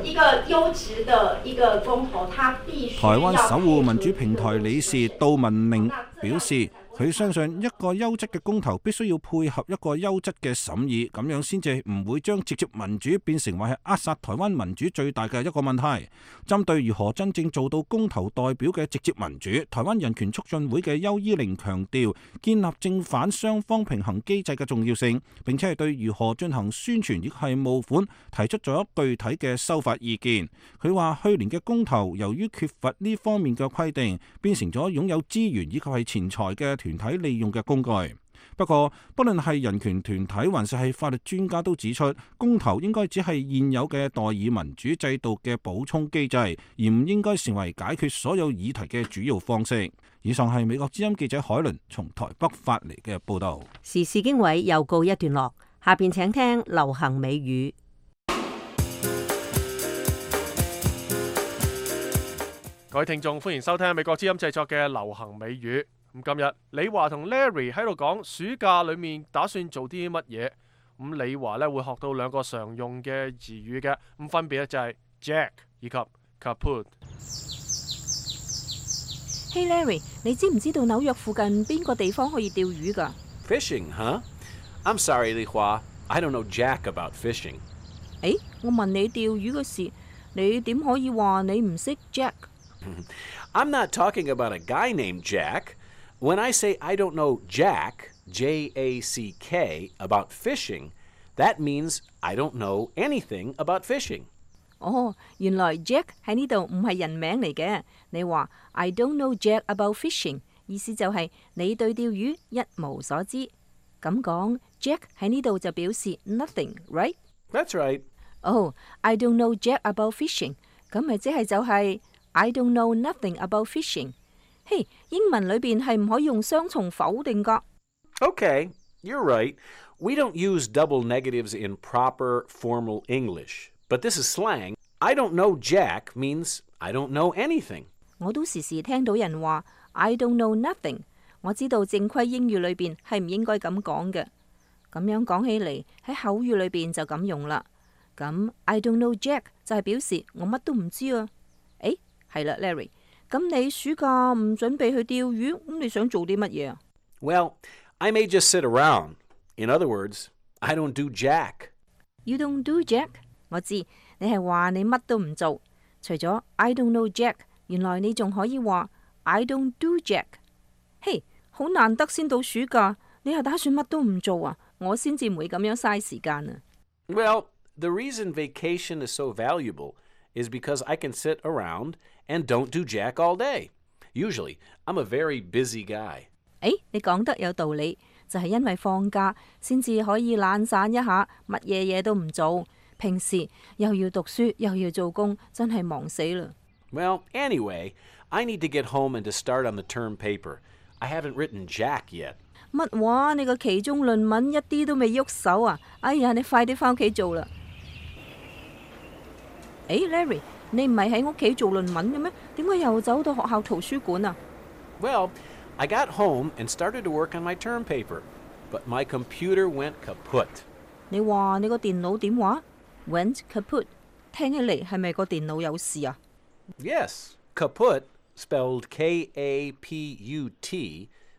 一個優質的一個公投，它必須。台灣守護民主平台理事杜文明表示，佢相信一個優質嘅公投必須要配合一個優質嘅審議，咁樣先至唔會將直接民主變成為係扼殺台灣民主最大嘅一個問題。針對如何真正做到公投代表嘅直接民主，台灣人權促進會嘅邱依玲強調建立正反雙方平衡機制嘅重要性，並且係對如何進行宣傳亦係募款提出咗具體嘅修法意見。佢話去年嘅公投由於缺乏呢方面嘅規定，變成咗擁有資源以及係錢財嘅團體利用嘅工具。不過，不論係人權團體還是係法律專家都指出，公投應該只係現有嘅代議民主制度嘅補充機制，而唔應該成為解決所有議題嘅主要方式。以上係美國之音記者海倫從台北發嚟嘅報道。時事經緯又告一段落，下邊請聽流行美語。各位聽眾，歡迎收聽美國之音製作嘅流行美語。咁今日李華同 Larry 喺度講暑假裏面打算做啲乜嘢。咁李華咧會學到2個常用嘅詞語嘅，咁分別咧就係 Jack 以及 Kaput。Hey Larry， 你知唔知道紐約附近邊個地方可以釣魚㗎？ Fishing, huh? I'm sorry, Li Hua. I don't know jack about fishing. 誒，我問你釣魚嘅事，你點可以話你唔識 Jack？ I'm not talking about a guy named Jack. When I say I don't know Jack, J-A-C-K, about fishing, that means I don't know anything about fishing. 哦，原來 Jack 喺呢度唔係人名嚟嘅。你話 I don't know Jack about fishing， 意思就係你對釣魚一無所知。咁講 Jack 喺呢度就表示 nothing，right？ That's right. 哦，I don't know Jack about fishing， 咁咪即係就係 I don't know nothing about fishing。嘿，英文裏邊係唔可以用雙重否定噶。Okay, you're right. We don't use double negatives in proper formal English, but this is slang. I don't know Jack means I don't know anything. 我都時時聽到人話 I don't know nothing。我知道正規英語裏邊係唔應該咁講嘅。咁樣講起嚟喺口語裏邊就咁用啦。咁 I don't know Jack 就係表示我乜都唔知啊。誒，係啦 ，Larry， 咁你暑假唔準備去釣魚，咁你想做啲乜嘢啊？ Well, I may just sit around. In other words, I don't do Jack. You don't do Jack？ 我知你係話你乜都唔做。除咗 I don't know Jack， 原來你仲可以話 I don't do Jack。嘿，好難得先到暑假，你係打算乜都唔做啊？我先至唔會咁樣嘥時間啊。Well, the reason vacation is so valuable is because I can sit around and don't do Jack all day. Usually, I'm a very busy guy. 誒，你講得有道理，就係因為放假先至可以懶散一下，乜嘢嘢都唔做。平時又要讀書又要做工，真係忙死啦。Well, anyway, I need to get home and to start on the term paper. I haven't written Jack yet. 乜話？你個期中論文一啲都未喐手啊！哎呀，你快啲翻屋企做啦！誒 ，Larry， 你唔係喺屋企做論文嘅咩？點解又走到學校圖書館啊？ Well, I got home and started to work on my term paper, but my computer went kaput. 你話你個電腦點話 ？Went kaput， 聽起嚟係咪個電腦有事啊？ Yes, kaput, spelled K-A-P-U-T,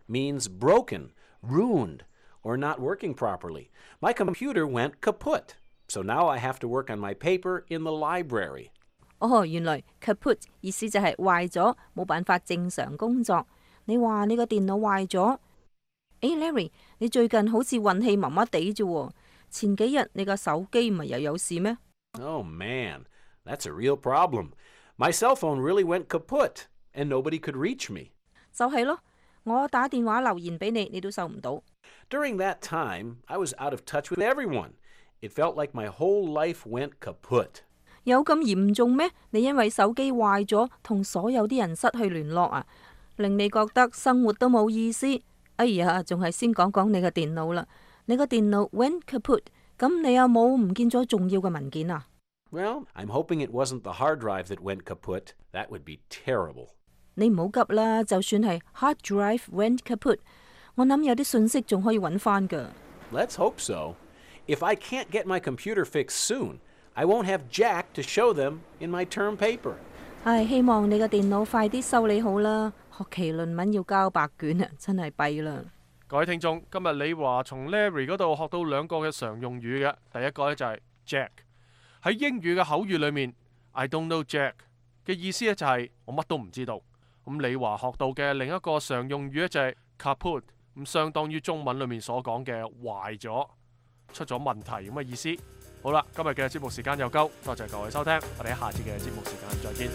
means broken, ruined, or not working properly. My computer went kaput, so now I have to work on my paper in the library. 哦，原來 kaput 意思就係壞咗，冇辦法正常工作。你話你個電腦壞咗？誒 ，Larry， 你最近好似運氣麻麻地啫喎。前幾日你個手機唔係又有事咩？ Oh man, that's a real problem. My cell phone really went kaput, and nobody could reach me. 就係咯，我打電話留言俾你，你都收唔到。 During that time, I was out of touch with everyone. It felt like my whole life went kaput. 有咁嚴重咩？你因為手機壞咗，同所有啲人失去聯絡啊，令你覺得生活都冇意思。哎呀，仲係先講講你個電腦啦。你個電腦 went kaput， 咁你有冇唔見咗重要嘅文件啊？ Well, I'm hoping it wasn't the hard drive that went kaput. That would be terrible. 你唔好急啦，就算係 hard drive went kaput， 我諗有啲信息仲可以揾翻㗎。 Let's hope so. If I can't get my computer fixed soon, I won't have Jack to show them in my term paper. 唉，希望你個電腦快啲修理好啦。學期論文要交白卷啊，真係弊啦。各位聽眾，今日李華從 Larry 嗰度學到兩個嘅常用語嘅，第一個咧就係 Jack。喺英語嘅口語裏面 ，I don't know Jack 嘅意思咧就係我乜都唔知道。咁李華學到嘅另一個常用語咧就係 kaput， 咁相當於中文裏面所講嘅壞咗、出咗問題咁嘅意思。好啦，今日嘅節目時間又夠，多謝各位收聽，我哋喺下次嘅節目時間再見。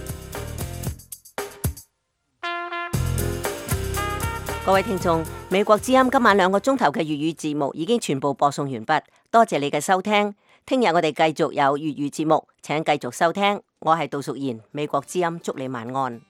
各位聽眾，美國之音今晚2個鐘頭嘅粵語節目已經全部播送完畢，多謝你嘅收聽。聽日我哋繼續有粵語節目，請繼續收聽。我係杜淑賢，美國之音，祝你晚安。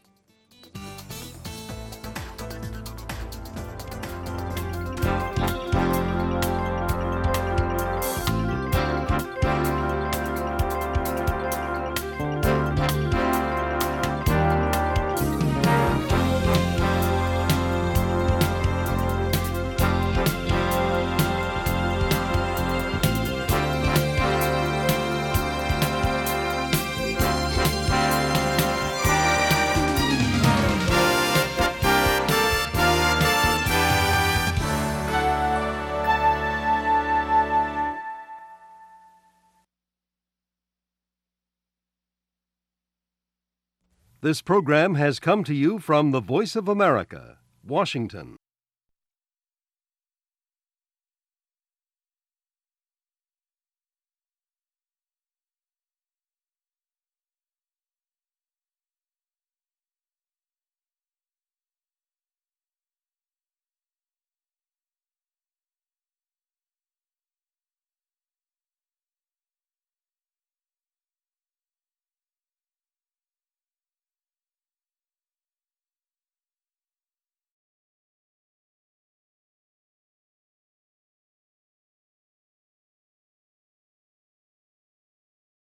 This program has come to you from the Voice of America, Washington.